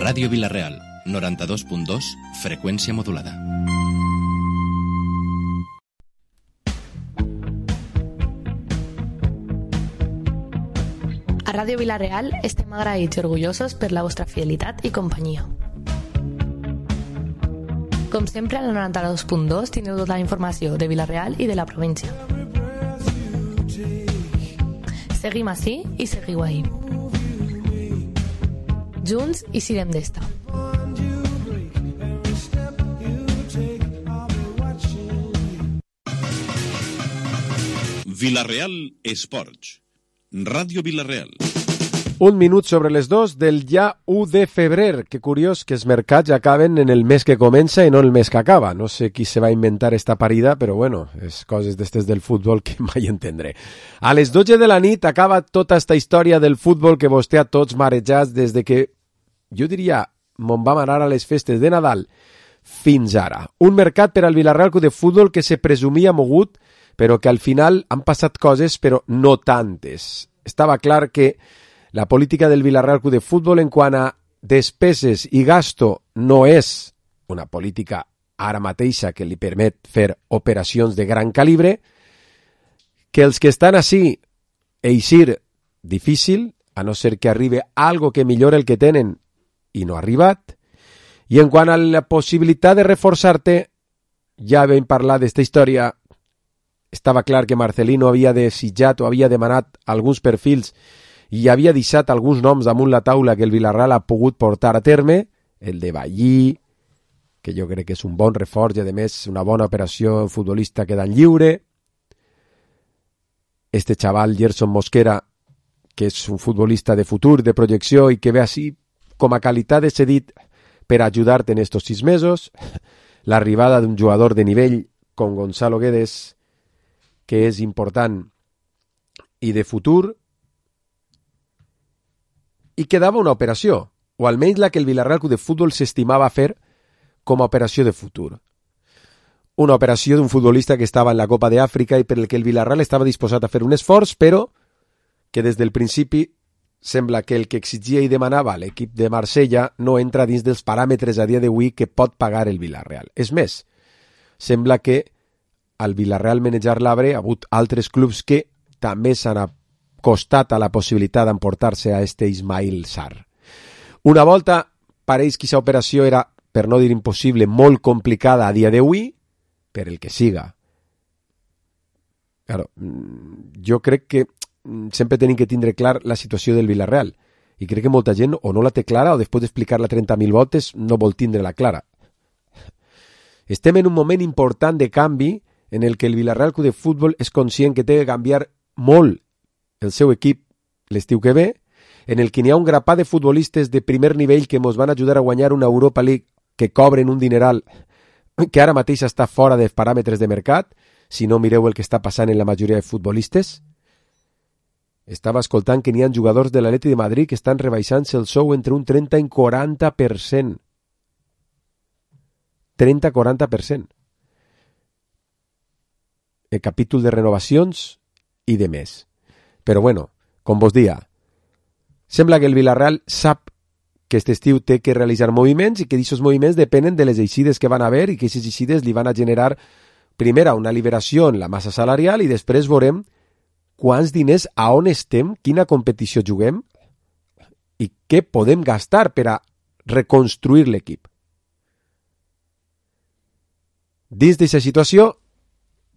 Ràdio Vila-real, 92.2, freqüència modulada. A Ràdio Vila-real estem agraïts i orgullosos per la vostra fidelitat i companyia. Com sempre, al 92.2 tindreu tota la informació de Vila-real i de la província. Seguim ací i seguiu ahí. Junts i sirem d'esta. Vila-real Esports. Ràdio Vila-real. 1 minut sobre les 2 del ja 1 de febrer. Que curiós que els mercats acaben en el mes que comença i no el mes que acaba. No sé qui se va inventar esta parida, però bueno, és coses d'estes del futbol que mai entendré. A les 12 de la nit acaba tota esta història del futbol que vostè a tots marejats des de que, jo diria, mon vam anar a les festes de Nadal fins ara. Un mercat per al Vila-real Club de Futbol que se presumia mogut, però que al final han passat coses, però no tantes. Estava clar que la política del Vila-real Club de Futbol en quant a despeses i gasto no és una política ara mateixa que li permet fer operacions de gran calibre, que els que estan així eixir difícil, a no ser que arribi algo que millore el que tenen i no ha arribat, i en quant a la possibilitat de reforçar-te, ja vam parlar d'esta història. Estava clar que Marcelino havia desitjat o havia demanat alguns perfils i havia deixat alguns noms damunt la taula que el Vila-real ha pogut portar a terme, el de Ballí, que jo crec que és un bon reforç i a més una bona operació futbolista quedant lliure, este xaval Gerson Mosquera, que és un futbolista de futur, de projecció i que ve així com a qualitat de cedit per ajudar-te en estos 6 mesos, l'arribada d'un jugador de nivell com Gonzalo Guedes, que és important i de futur, i quedava una operació, o almenys la que el Vila-real Club de Futbol s'estimava fer com a operació de futur. Una operació d'un futbolista que estava en la Copa d'Àfrica i per el que el Vila-real estava disposat a fer un esforç, però que des del principi sembla que el que exigia i demanava l'equip de Marsella no entra dins dels paràmetres a dia d'avui que pot pagar el Vila-real. És més, sembla que al Vila-real manejar l'arbre ha hagut altres clubs que també s'han acostat a la possibilitat d'emportar-se a este Ismail Sarr. Una volta pareix que aquesta operació era, per no dir impossible, molt complicada a dia d'avui, per el que siga. Claro, jo crec que sempre tenim que tindre clar la situació del Vila-real i crec que molta gent o no la té clara o després d'explicar-la 30.000 voltes no vol tindre-la clara. Estem en un moment important de canvi en el que el Vila-real Club de Futbol és conscient que té que canviar molt el seu equip l'estiu que ve, en el que n'hi ha un grapat de futbolistes de primer nivell que ens van ajudar a guanyar una Europa League que cobren un dineral que ara mateix està fora dels paràmetres de mercat, si no mireu el que està passant en la majoria de futbolistes. Estava escoltant que n'hi ha jugadors de l'Atleti de Madrid que estan rebaixant-se el sou entre un 30 i un 40%. 30-40%. El capítol de renovacions i de més. Però bueno, com vos dia, sembla que el Vila-real sap que aquest estiu té que realitzar moviments i que aquests moviments depenen de les eixides que van haver i que aquestes eixides li van a generar primera una liberació en la massa salarial i després veurem quants diners, a on estem, quina competició juguem i què podem gastar per a reconstruir l'equip. Dins d'aquesta situació,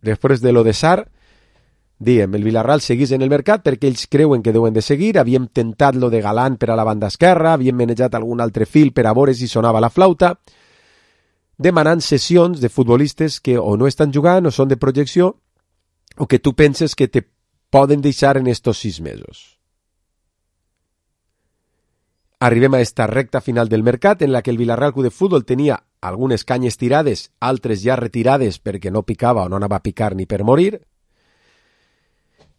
després de lo de Sarr, diem, el Vila-real seguís en el mercat perquè ells creuen que deuen de seguir, havíem tentat lo de Galán per a la banda esquerra, havíem manejat algun altre fil per a veure si sonava la flauta, demanant sessions de futbolistes que o no estan jugant o són de projecció o que tu penses que te poden deixar en estos 6 mesos. Arribem a esta recta final del mercat en la que el Vila-real Club de Futbol tenia algunes canyes tirades, altres ja retirades perquè no picava o no anava a picar ni per morir,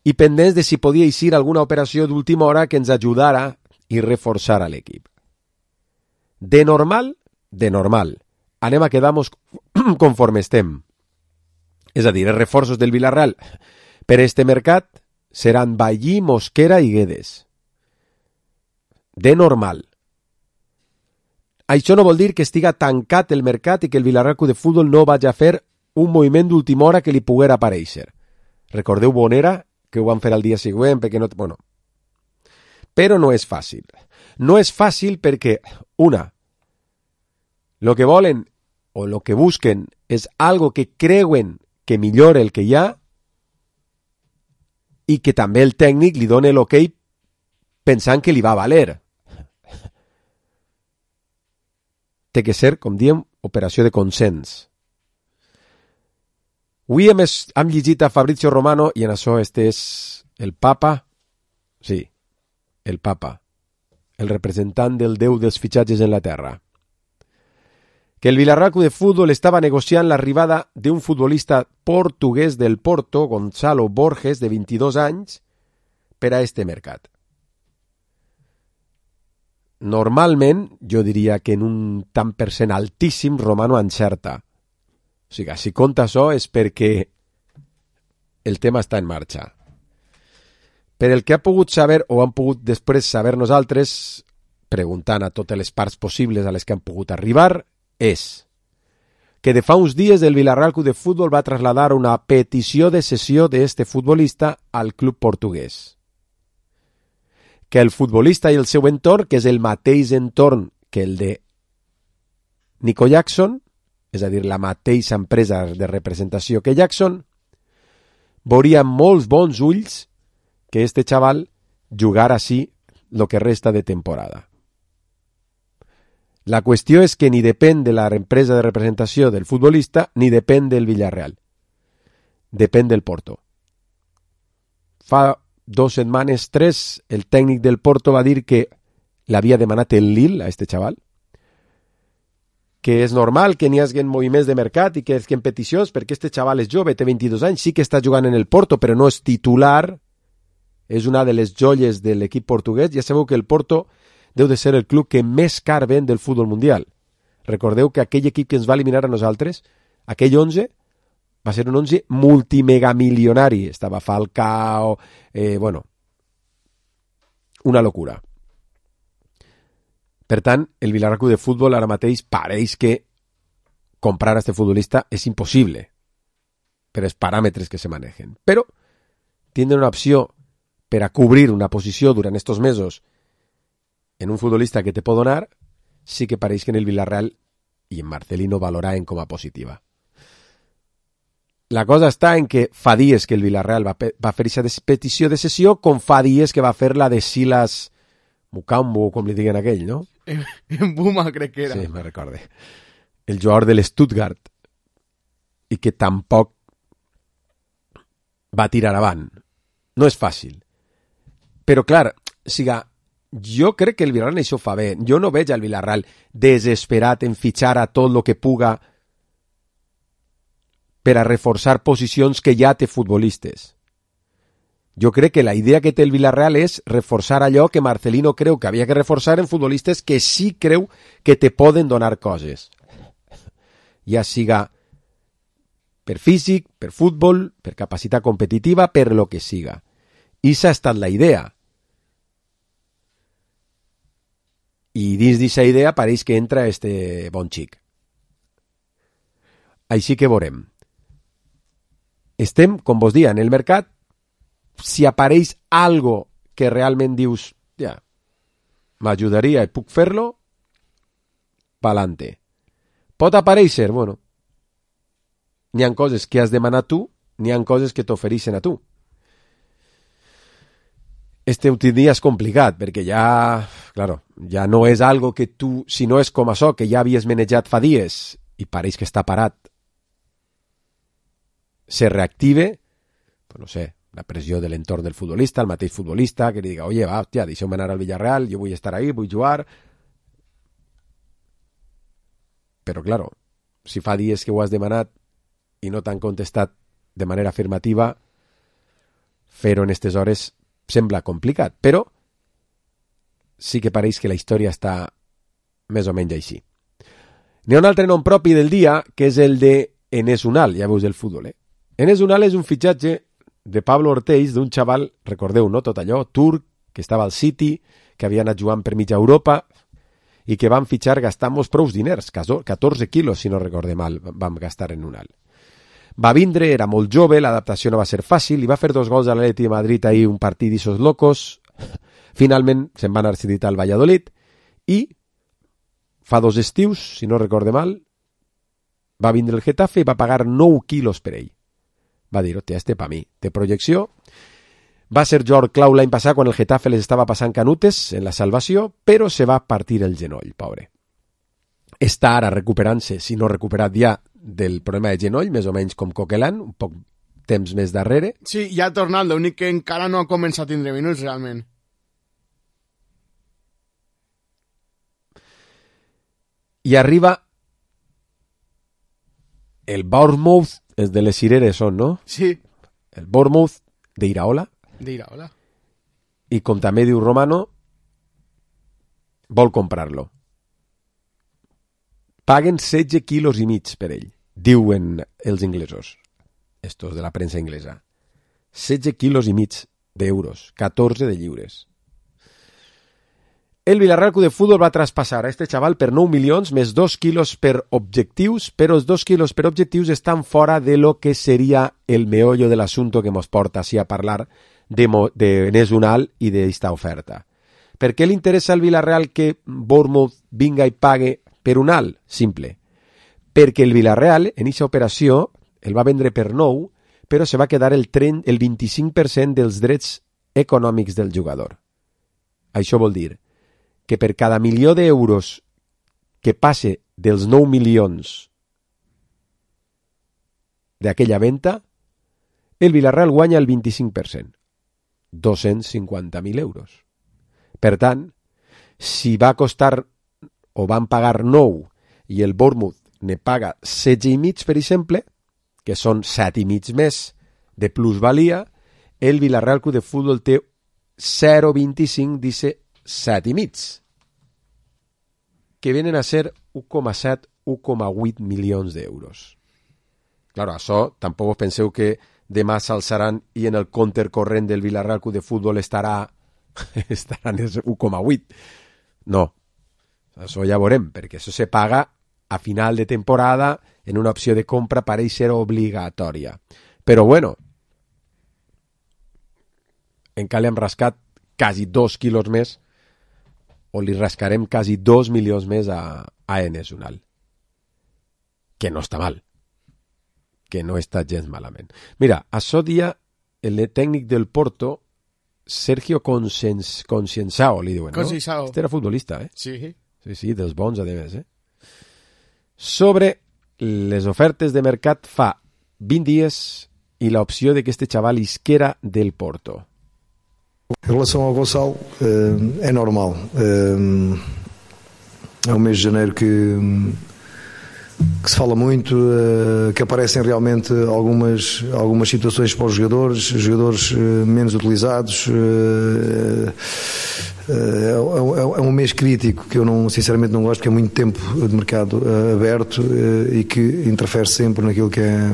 i pendents de si podia eixir alguna operació d'última hora que ens ajudara i reforçara l'equip. De normal, anem a quedar-nos conforme estem. És a dir, els reforços del Vila-real per este mercat seran Ballí, Mosquera i Guedes. De normal. Això no vol dir que estiga tancat el mercat i que el Villarreal Club de Futbol no vagi a fer un moviment d'última hora que li poguera aparèixer. Recordeu Bonera, que ho van fer al dia següent, perquè no... Bueno. Però no és fàcil. No és fàcil perquè, una, lo que volen o lo que busquen és algo que creuen que millora el que hi ha i que també el tècnic li dona l'ok pensant que li va valer. Té que ser, com diem, operació de consens. Avui hem llegit a Fabrizio Romano i en això este és el papa, sí, el papa, el representant del Déu dels fitxatges en la terra, que el Villarreal Club de Futbol estava negociant l'arribada d'un futbolista portuguès del Porto, Gonzalo Borges, de 22 anys, per a este mercat. Normalment, jo diria que en un tant per cent altíssim, Romano encerta. O sigui, si compta això és perquè el tema està en marxa. Per el que ha pogut saber, o han pogut després saber nosaltres, preguntant a totes les parts possibles a les que han pogut arribar, és que de fa uns dies el Villarreal Club de Futbol va traslladar una petició de cessió d'este futbolista al club portuguès. Que el futbolista i el seu entorn, que és el mateix entorn que el de Nico Jackson, és a dir, la mateixa empresa de representació que Jackson, veuria amb molts bons ulls que este xaval jugara així el que resta de temporada. La qüestió és que ni depèn de la empresa de representació del futbolista ni depèn del Villarreal. Depèn del Porto. Fa 2 setmanes, 3, el tècnic del Porto va dir que l'havia demanat el Lille a este xaval, que és normal que n'hi hagi moviments de mercat i que en peticions, perquè este xaval és jove, té 22 anys, sí que està jugant en el Porto, però no és titular, és una de les joies de l'equip portuguès. Ja sabeu que el Porto deu de ser el club que més car ven del futbol mundial. Recordeu que aquell equip que ens va eliminar a nosaltres, aquell 11, va ser un 11 multimegamilionari. Estava Falcao, bueno, una locura. Per tant, el Villarreal Club de Futbol ara mateix pareix que comprar a este futbolista és impossible per els paràmetres que se manegen. Però tindre una opció per a cobrir una posició durant estos mesos en un futbolista que te pot donar, sí que pareix que en el Villarreal i en Marcelino valoraven com a positiva. La cosa està en que fa dies que el Villarreal va fer aquesta petició de cessió, com fa dies que va fer la de Silas Mukambo, com li diguen aquell, no? En Buma, crec que era. Sí, me recorde. El jugador de l'Stuttgart. I que tampoc va tirar avant. No és fàcil. Però, clar, jo crec que el Villarreal això fa bé. Jo no veig al Villarreal desesperat en fitxar a tot el que puga per a reforçar posicions que ja té futbolistes. Jo crec que la idea que té el Villarreal és reforçar allò que Marcelino creu que havia que reforçar en futbolistes que sí creu que te poden donar coses. Ja siga per físic, per futbol, per capacitat competitiva, per lo que siga. I s'ha estat la idea. I dins d'aquesta idea pareix que entra este bon xic. Així que veurem. Estem, com vos dia, en el mercat. Si apareix algo que realment dius, ja, m'ajudaria i puc fer-lo, pa'lante. Pot aparèixer, bueno, n'hi ha coses que has demanat tu, n'hi ha coses que t'ofereixen a tu. Este últim dia és complicat, perquè ja, claro, ja no és algo que tu, si no és com això, que ja havies manejat fa dies i pareix que està parat, se reactive, pues no sé, la pressió de l'entorn del futbolista, el mateix futbolista, que li diga, oye, va, hòstia, deixeu-me anar al Villarreal, jo vull estar ahí, vull jugar. Però, claro, si fa dies que ho has demanat i no t'han contestat de manera afirmativa, fer-ho en aquestes hores sembla complicat, però sí que pareix que la història està més o menys així. N'hi ha un altre nom propi del dia, que és el de Enes Unal, ja veus el futbol, Enes Unal és un fitxatge de Pablo Ortells, d'un xaval, recordeu, no, tot allò, turc, que estava al City, que havia anat jugant per mitja Europa, i que van fitxar gastant-nos prous diners, 14 quilos, si no recorde mal, vam gastar en un alt. Va vindre, era molt jove, l'adaptació no va ser fàcil, i va fer 2 gols a l'Atleti de Madrid ahir, un partit d'issos locos. Finalment se'n va anar ceditat al Valladolid i fa 2 estius, si no recorde mal, va vindre el Getafe i va pagar 9 quilos per ell. Va dir, hòstia, este pa mi, té projecció. Va ser Jordi clau l'any passat quan el Getafe les estava passant canutes en la salvació, però se va partir el genoll, pobre. Està ara recuperant-se, si no recuperat ja, del problema de genoll, més o menys com Coquelin, un poc temps més darrere. Sí, ja ha tornat, l'únic que encara no ha començat a tindre minuts, realment. I arriba el Bournemouth, és de les cireres són, no? Sí. El Bournemouth d'Iraola. D'Iraola. I com també diu Romano, vol comprar-lo. Paguen 16 quilos i mig per ell, diuen els inglesos, estos de la premsa inglesa. 16 quilos i mig d'euros, 14 de lliures. El Villarreal Club de Fútbol va traspassar a este xaval per 9 milions més 2 quilos per objectius, però els 2 quilos per objectius estan fora de lo que seria el meollo de l'assumpte que ens porta així a parlar de Enes Unal i d'esta oferta. Per què li interessa al Villarreal que Bournemouth vinga i pague per Unal? Simple. Perquè el Villarreal, en aquesta operació, el va vendre per 9, però se va quedar el 25% dels drets econòmics del jugador. Això vol dir que per cada milió d'euros que passe dels 9 milions d'aquella venda, el Villarreal guanya el 25%, 250.000 euros. Per tant, si va costar o van pagar 9 i el Bournemouth ne paga 16,5, per exemple, que són 7,5 més de plusvalia, el Villarreal Club de Futbol té 0,25, dice 7,5, que venen a ser 1,7-1,8 milions d'euros. Claro, això tampoc penseu que demà s'alçaran i en el compte corrent del Villarreal Club de Futbol estaran en 1,8. No, això ja veurem, perquè això se paga a final de temporada en una opció de compra pareix ser obligatòria. Però bueno, encara li hem rascat quasi 2 quilos més, o li rascarem quasi 2 milions més a Enes Unal. Que no està mal. Que no està gens malament. Mira, això dia el tècnic del Porto, Sergio Conceição, li diuen, no? Conceição. Este era futbolista, eh? Sí. Sí, dels bons, a més, eh? Sobre les ofertes de mercat fa 20 dies i l'opció de que este xaval isquera del Porto. Em relação ao Gonçalo, é normal. É um mês de janeiro que se fala muito, que aparecem realmente algumas situações para os jogadores menos utilizados. É um mês crítico que eu sinceramente não gosto, porque é muito tempo de mercado aberto e que interfere sempre naquilo que é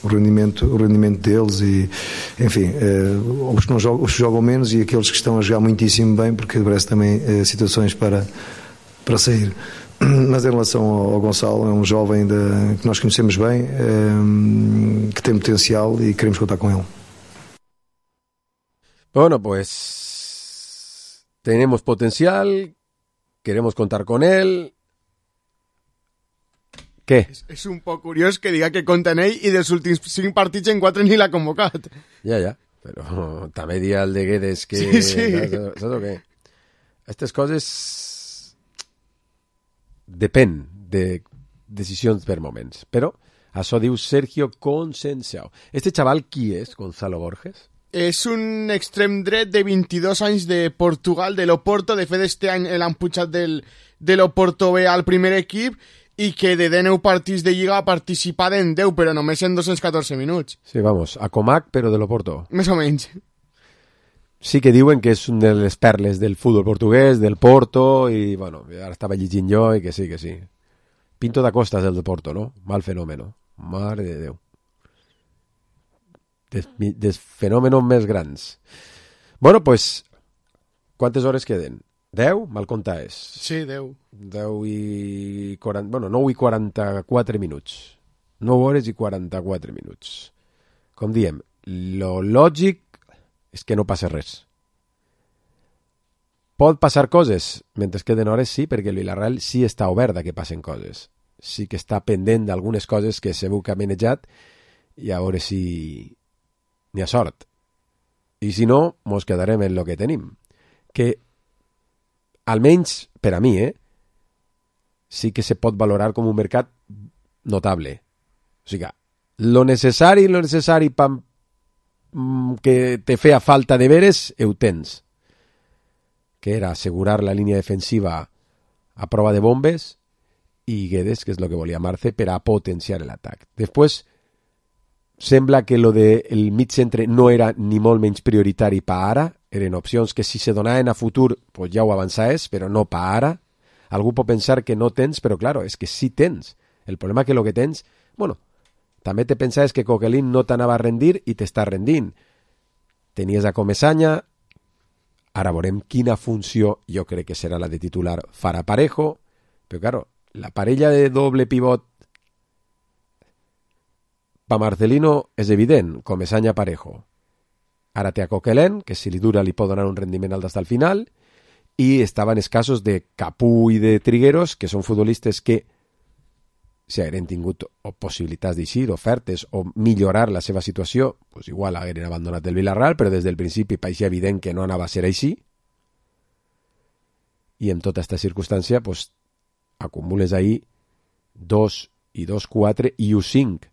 o rendimento deles e, enfim, os que jogam menos e aqueles que estão a jogar muitíssimo bem, porque parece também situações para sair. Mas em relação ao Gonçalo, é um jovem que nós conhecemos bem, que tem potencial e queremos contar com ele. Bueno, pues tenemos potencial, queremos contar con él. Què? És un poc curiós que diga que compta en ell i dels últims 5 partits en 4 ni l'ha convocat. Ja, però també dia el de Guedes que... Sí. Saps o què? Aquestes coses depèn de decisions per moments, però això diu Sergio Conceição. Este xaval qui és, Gonzalo Borges? És un extrem dret de 22 anys de Portugal, de l'Oporto. De fet, este any l'han pujat de l'Oporto B al primer equip i que de 19 partits de Lliga ha participat en 10, però només en 214 minuts. Sí, vamos, a Comac, però de l'Oporto. Més o menys. Sí que diuen que és un de les perles del futbol portuguès, del Porto, i, bueno, ara estava llegint jo i que sí. Pinto da Costa és el de Porto, no? Mal fenòmeno. Mare de Déu. Dels fenòmenos més grans. Bueno, pues, quantes hores queden? 10? Mal compte és. Sí, 10. 10 i 40... Bueno, 9 i 44 minuts. 9 hores i 44 minuts. Com diem, lo lògic és que no passa res. Pot passar coses mentre queden hores, sí, perquè el Villarreal sí està obert a que passen coses. Sí que està pendent d'algunes coses que segur que ha manejat i a veure si n'hi ha sort. I si no, mos quedarem en lo que tenim. Que, almenys per a mi, sí que se pot valorar com un mercat notable. O sigui, lo necessari que te feia falta de veres, ho tens. Que era assegurar la línia defensiva a prova de bombes i Guedes, que és el que volia Marce, per a potenciar l'atac. Després, sembla que lo del mig centre no era ni molt menys prioritari per ara, eren opcions que si se donaven a futur pues ja ho avançaves, però no per ara. Algú pot pensar que no tens, però claro, és que sí tens. El problema que lo que tens, bueno, també te pensaves que Coquelin no t'anava a rendir i t'està rendint. Tenies a Comesaña, ara veurem quina funció, jo crec que serà la de titular, farà Parejo, però claro, la parella de doble pivot pa Marcelino és evident, Comesaña Parejo. Ara té a Coquelin, que si li dura li pot donar un rendiment alt fins al final, i estaven escassos de Capú i de Trigueros, que són futbolistes que si hagueren tingut possibilitats d'eixir, ofertes o millorar la seva situació, pues igual hagueren abandonat el Villarreal, però des del principi pareixia evident que no anava a ser així. I en tota aquesta circumstància pues, acumules ahir 2 i 2, 4 i 1, 5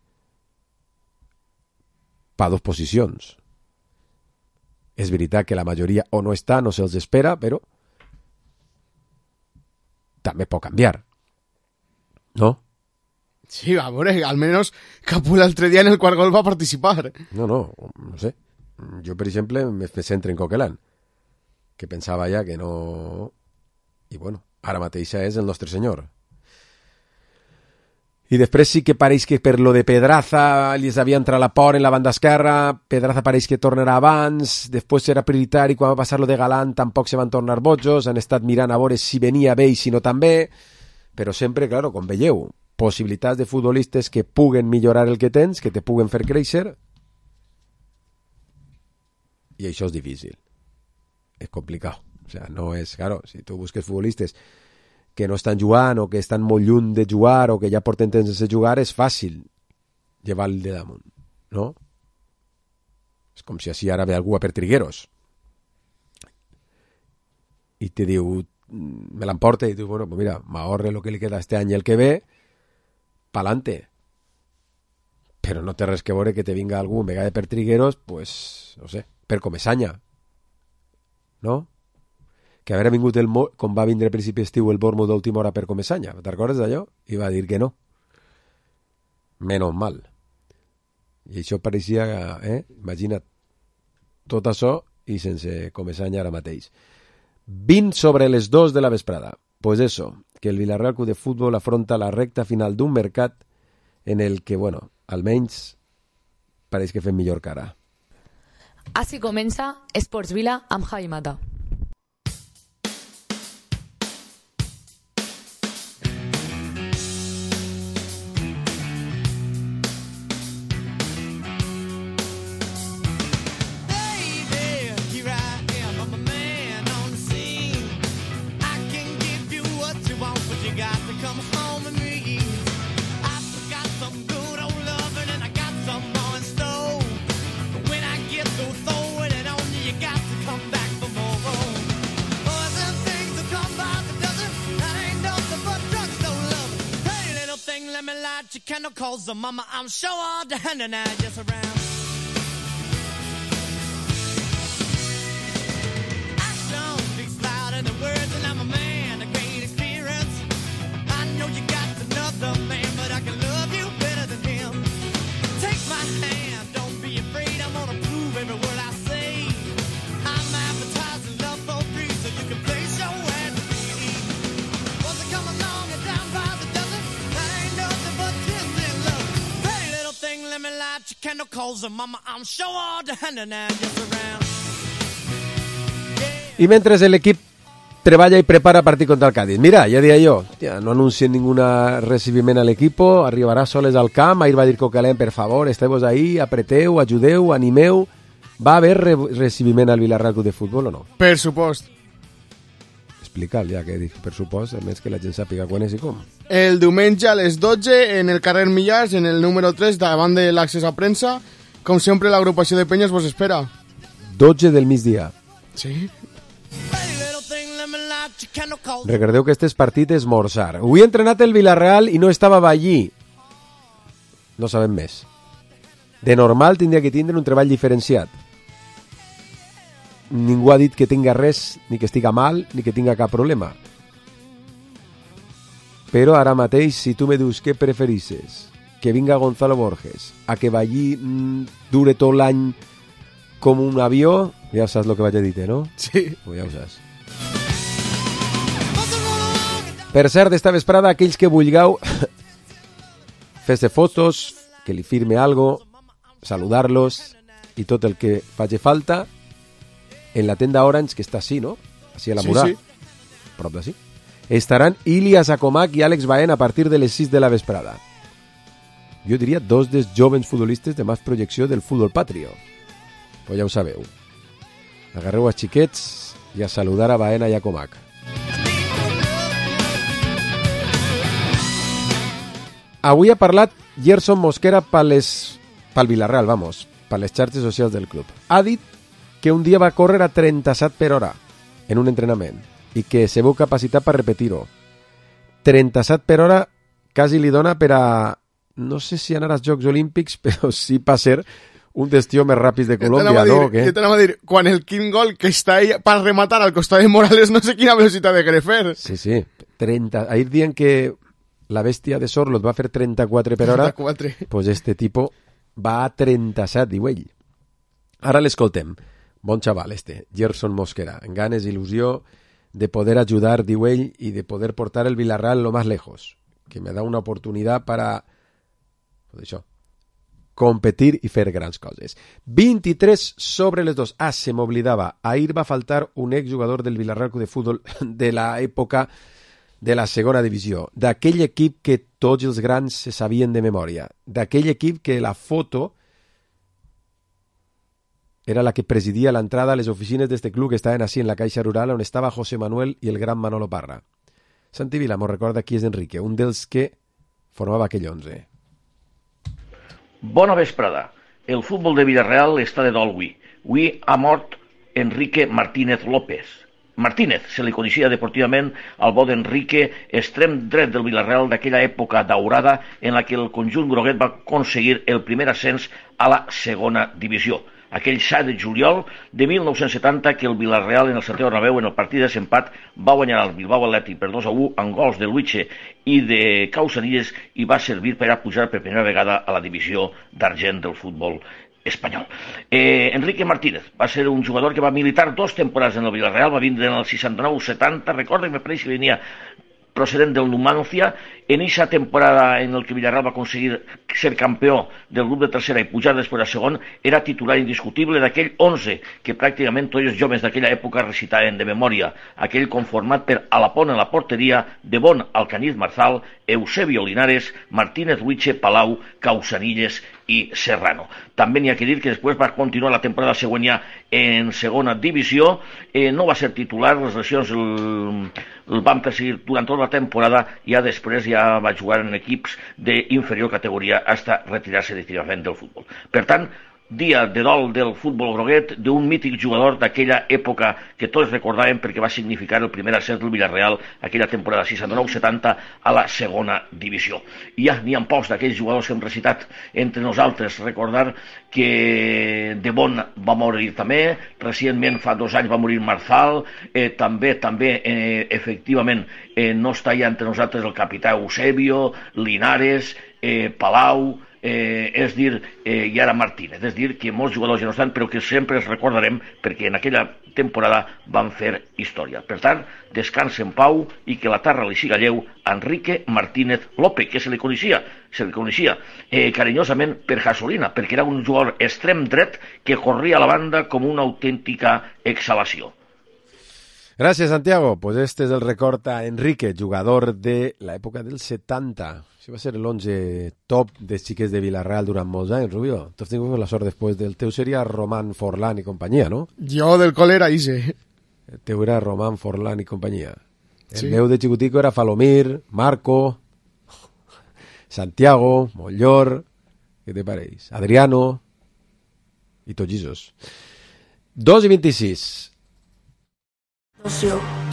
per 2 posicions. És veritat que la majoria o no està, no se'ls espera, però també pot canviar. ¿No? Sí, a veure, almenys Capú l'altre dia en el quart gol va participar. No sé. Jo, per exemple, me centro en Coquelin, que pensava ja que no... I bueno, ara mateixa és el nostre senyor. I després sí que pareix que per lo de Pedraza li havia entrat la por en la banda esquerra, Pedraza pareix que tornarà abans, després serà prioritari, quan va passar lo de Galán tampoc se van tornar bojos, han estat mirant a veure si venia bé i si no també, però sempre, claro, com veieu, possibilitats de futbolistes que puguen millorar el que tens, que te puguen fer créixer, i això és difícil. És complicat. O sea, no és, claro, si tu busques futbolistes que no estan jugant o que estan molt lluny de jugar o que ja porten temps sense jugar, és fàcil llevar-lo de damunt, no? És com si així ara ve algú a per Trigueros i te diu, me l'emporta i diu, bueno, pues mira, m'ahorre lo que li queda este any i el que ve, pa'lante. Però no té res que veure que te vinga algú en vegada per Trigueros, pues, no sé, per Comesaña, no? Que haver vingut com va vindre a principi estiu el Bournemouth d'última hora per Comesaña. Te'n recordes d'allò? I va dir que no. Menos mal. I això pareixia, imagina't, tot això i sense Comesaña ara mateix. 20 sobre les 2 de la vesprada. Pues eso, que el Villarreal Club de Fútbol afronta la recta final d'un mercat en el que, bueno, almenys pareix que fem millor cara. Així comença Esports Vila amb Javi Mata. Cause mama, I'm sure all the hand and I just around. Action speaks louder than words, and I'm a man of great experience. I know you got another man, but I can love you better than him. Take my hand, don't be afraid. I'm gonna prove every word I say. I'm advertising love for free, so you can place your ad to me. Was it come along and down by the dozen? That ain't nothing but tears in love. Pretty little thing, let me light your candle, cause mama, I'm sure all the hand and I just around. I mentre l'equip treballa i prepara partit contra el Cádiz. Mira, ja deia jo, no anuncien ningún recibiment a l'equipo, arribarà soles al camp, ahir va dir Coquelin, per favor, esteu ahí, apreteu, ajudeu, animeu. Va haver recibiment al Villarreal Club de Futbol o no? Per supost. Explica'l ja, que dic, per supost, a més que la gent sàpiga quan és i com. El diumenge a les 12 en el carrer Millars, en el número 3, davant de l'accés a premsa. Com sempre, l'agrupació de penyes vos espera. 12 del migdia. Sí. Recordeu que este és partit esmorzar. Avui ha entrenat el Villarreal i no estava allí. No sabem més. De normal tindria que tindre un treball diferenciat. Ningú ha dit que tinga res, ni que estiga mal, ni que tinga cap problema. Però ara mateix, si tu me dius què preferisses, que vinga Gonzalo Borges, a que vagi dure tot l'any com un avió, ja saps el que vaig a dir, no? Sí. Ja ho saps. Per cert, esta vesprada, aquells que vulgueu fer-se fotos, que li firme algo, saludar-los i tot el que faci falta, en la tenda Orange, que està així, no? Així a la Murà. Sí. Prop d'ací. Estaran Ilias Acomac i Àlex Baena a partir de les 6 de la vesprada. Jo diria dos dels jovens futbolistes de més projecció del futbol patrio. Pues ja ho sabeu. Agarreu els xiquets i a saludar a Baena i a Acomac. Avui ha parlat Gerson Mosquera pel Villarreal, per les xarxes socials del club. Ha dit que un dia va córrer a 37 per hora en un entrenament i que se veu capacitat per repetir-ho. 37 per hora quasi li dona per a, no sé si anar als Jocs Olímpics, però sí per ser un dels tios més ràpids de Colòmbia, no? Jo t'anava a dir, quan el quin gol que està ahí per rematar al costat de Morales, no sé quina velocitat de fer. Sí. 30. Ahir dient que la bèstia de Sorlot va fer 34 per hora, 34. pues este tipo va a 37, diu ell. Ara l'escoltem. Bon xaval Gerson Mosquera, amb ganes i il·lusió de poder ayudar, diu ell, y de poder portar el Villarreal lo más lejos, que me da una oportunidad para, pues això, competir i fer grans coses. 23 sobre les 2. Se m'oblidava. Ahir va faltar un exjugador del Villarreal Club de Futbol de l'època de la segona divisió, d'aquell equip que tots els grans se sabien de memòria, d'aquell equip que la foto era la que presidia l'entrada a les oficines d'este club que estaven així en la Caixa Rural, on estava José Manuel i el gran Manolo Parra. Santi Vila m'ho recorda qui és Enrique, un dels que formava aquell 11. Bona vesprada. El futbol de Villarreal està de dol avui. Avui ha mort Enrique Martínez López. Martínez se li coneixia deportivament al bo d'Enrique, extrem dret del Villarreal d'aquella època daurada en la que el conjunt groguet va aconseguir el primer ascens a la segona divisió. Aquell 7 de juliol de 1970 que el Villarreal en el Santiago Bernabéu en el partit de desempat va guanyar el Bilbao Athletic per 2-1 amb gols de Luiche i de Causanilles i va servir per a pujar per primera vegada a la divisió d'argent del futbol espanyol. Enrique Martínez va ser un jugador que va militar 2 temporades en el Villarreal, va vindre en el 69-70, recorda que me pareix que venia procedent del Numancia, en aquesta temporada en el que Villarreal va aconseguir ser campió del grup de tercera i pujar després a segon, era titular indiscutible d'aquell 11 que pràcticament tots els joves d'aquella època recitaven de memòria, aquell conformat per Alapont en la porteria, De Bon, Alcaniz Marzal, Eusebio Linares, Martínez Huiche, Palau, Causanilles i Serrano. També n'hi ha que dir que després va continuar la temporada següent ja en segona divisió, no va ser titular, les lesions el van perseguir durant tota la temporada i ja després ja va jugar en equips d'inferior categoria fins a retirar-se definitivament del futbol. Per tant, dia de dol del futbol groguet, d'un mític jugador d'aquella època que tots recordàvem perquè va significar el primer ascens del Villarreal aquella temporada 69-70 a la segona divisió. I ja n'hi ha pocs d'aquells jugadors que hem recitat entre nosaltres. Recordar que De Bon va morir també, recentment fa 2 anys va morir Marzal, també efectivament no està ja entre nosaltres el capità Eusebio, Linares, Palau, és dir, i ara Martínez, és dir, que molts jugadors ja no estan, però que sempre els recordarem perquè en aquella temporada van fer història. Per tant, descansa en pau i que la terra li siga lleu a Enrique Martínez López, que se li coneixia carinyosament per Gasolina, perquè era un jugador extrem dret que corria a la banda com una autèntica exhalació. Gràcies, Santiago. Pues este és el record a Enrique, jugador de l'època del 70. Això va ser l'11 top de xiquets de Villarreal durant molts anys, Rubio. Tu has tingut la sort després del teu seria Román Forlán i companyia, no? Jo del col era Ise. El teu era Román Forlán i companyia. El Sí. meu de xicutico era Falomir, Marco, Santiago, Mollor, què te pareix? Adriano i tots esos. 2:26.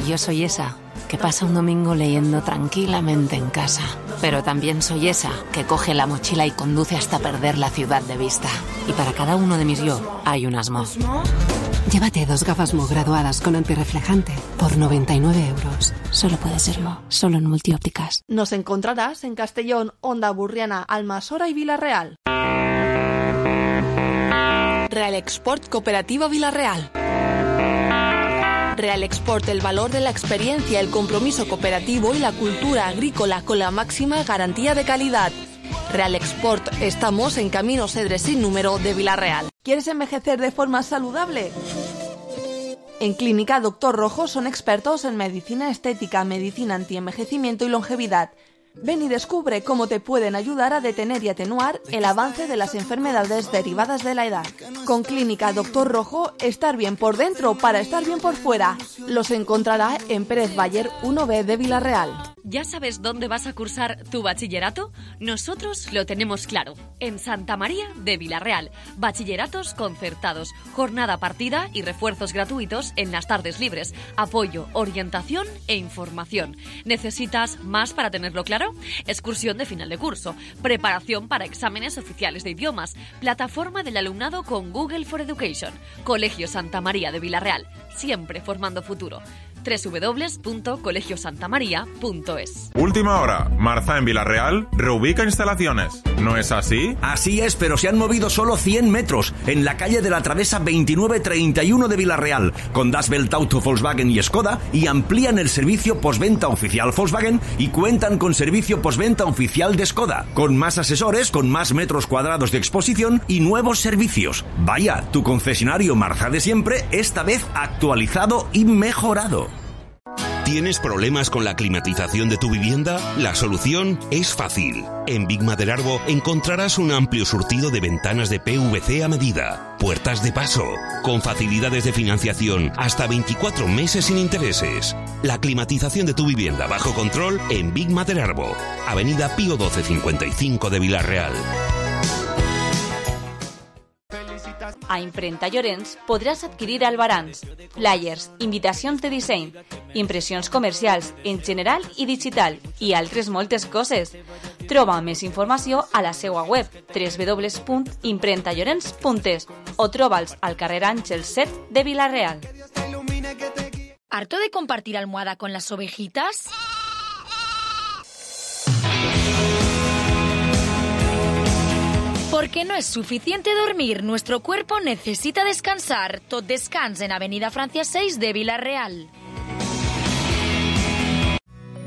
Yo soy esa, que pasa un domingo leyendo tranquilamente en casa. Pero también soy esa, que coge la mochila y conduce hasta perder la ciudad de vista. Y para cada uno de mis yo, hay un asmo. Llévate 2 gafas Mo graduadas con antirreflejante por 99 euros. Solo puede ser Mo, solo en Multiópticas. Nos encontrarás en Castellón, Onda Burriana, Almasora y Villarreal. Real Export Cooperativa Villarreal. Real Export, el valor de la experiencia, el compromiso cooperativo y la cultura agrícola con la máxima garantía de calidad. Real Export, estamos en Camino Cedres sin número de Villarreal. ¿Quieres envejecer de forma saludable? En Clínica Doctor Rojo son expertos en medicina estética, medicina antienvejecimiento y longevidad. Ven y descubre cómo te pueden ayudar a detener y atenuar el avance de las enfermedades derivadas de la edad. Con Clínica Doctor Rojo, estar bien por dentro para estar bien por fuera. Los encontrará en Pérez Bayer 1B de Villarreal. ¿Ya sabes dónde vas a cursar tu bachillerato? Nosotros lo tenemos claro. En Santa María de Villarreal. Bachilleratos concertados, jornada partida y refuerzos gratuitos en las tardes libres. Apoyo, orientación e información. ¿Necesitas más para tenerlo claro? Excursión de final de curso, preparación para exámenes oficiales de idiomas, plataforma del alumnado con Google for Education. Colegio Santa María de Villarreal, siempre formando futuro. www.colegiosantamaria.es. Última hora. Marza en Villarreal reubica instalaciones. ¿No es así? Así es, pero se han movido solo 100 metros en la calle de la Travesa 2931 de Villarreal, con Das Welt Auto Volkswagen y Skoda, y amplían el servicio postventa oficial Volkswagen y cuentan con servicio postventa oficial de Skoda, con más asesores, con más metros cuadrados de exposición y nuevos servicios. Vaya, tu concesionario Marza de siempre, esta vez actualizado y mejorado. ¿Tienes problemas con la climatización de tu vivienda? La solución es fácil. En Big Maderarbo encontrarás un amplio surtido de ventanas de PVC a medida, puertas de paso, con facilidades de financiación hasta 24 meses sin intereses. La climatización de tu vivienda bajo control en Big Maderarbo, Avenida Pío 1255 de Villarreal. A Imprenta Llorenç podràs adquirir albarans, flyers, invitacions de disseny, impressions comercials en general i digital i altres moltes coses. Troba més informació a la seva web www.imprentallorenç.es o troba'ls al carrer Àngel 7 de Villarreal. ¿Harto de compartir almohada con las ovejitas? Porque no es suficiente dormir, nuestro cuerpo necesita descansar. Tot descans en Avenida Francia 6 de Villarreal.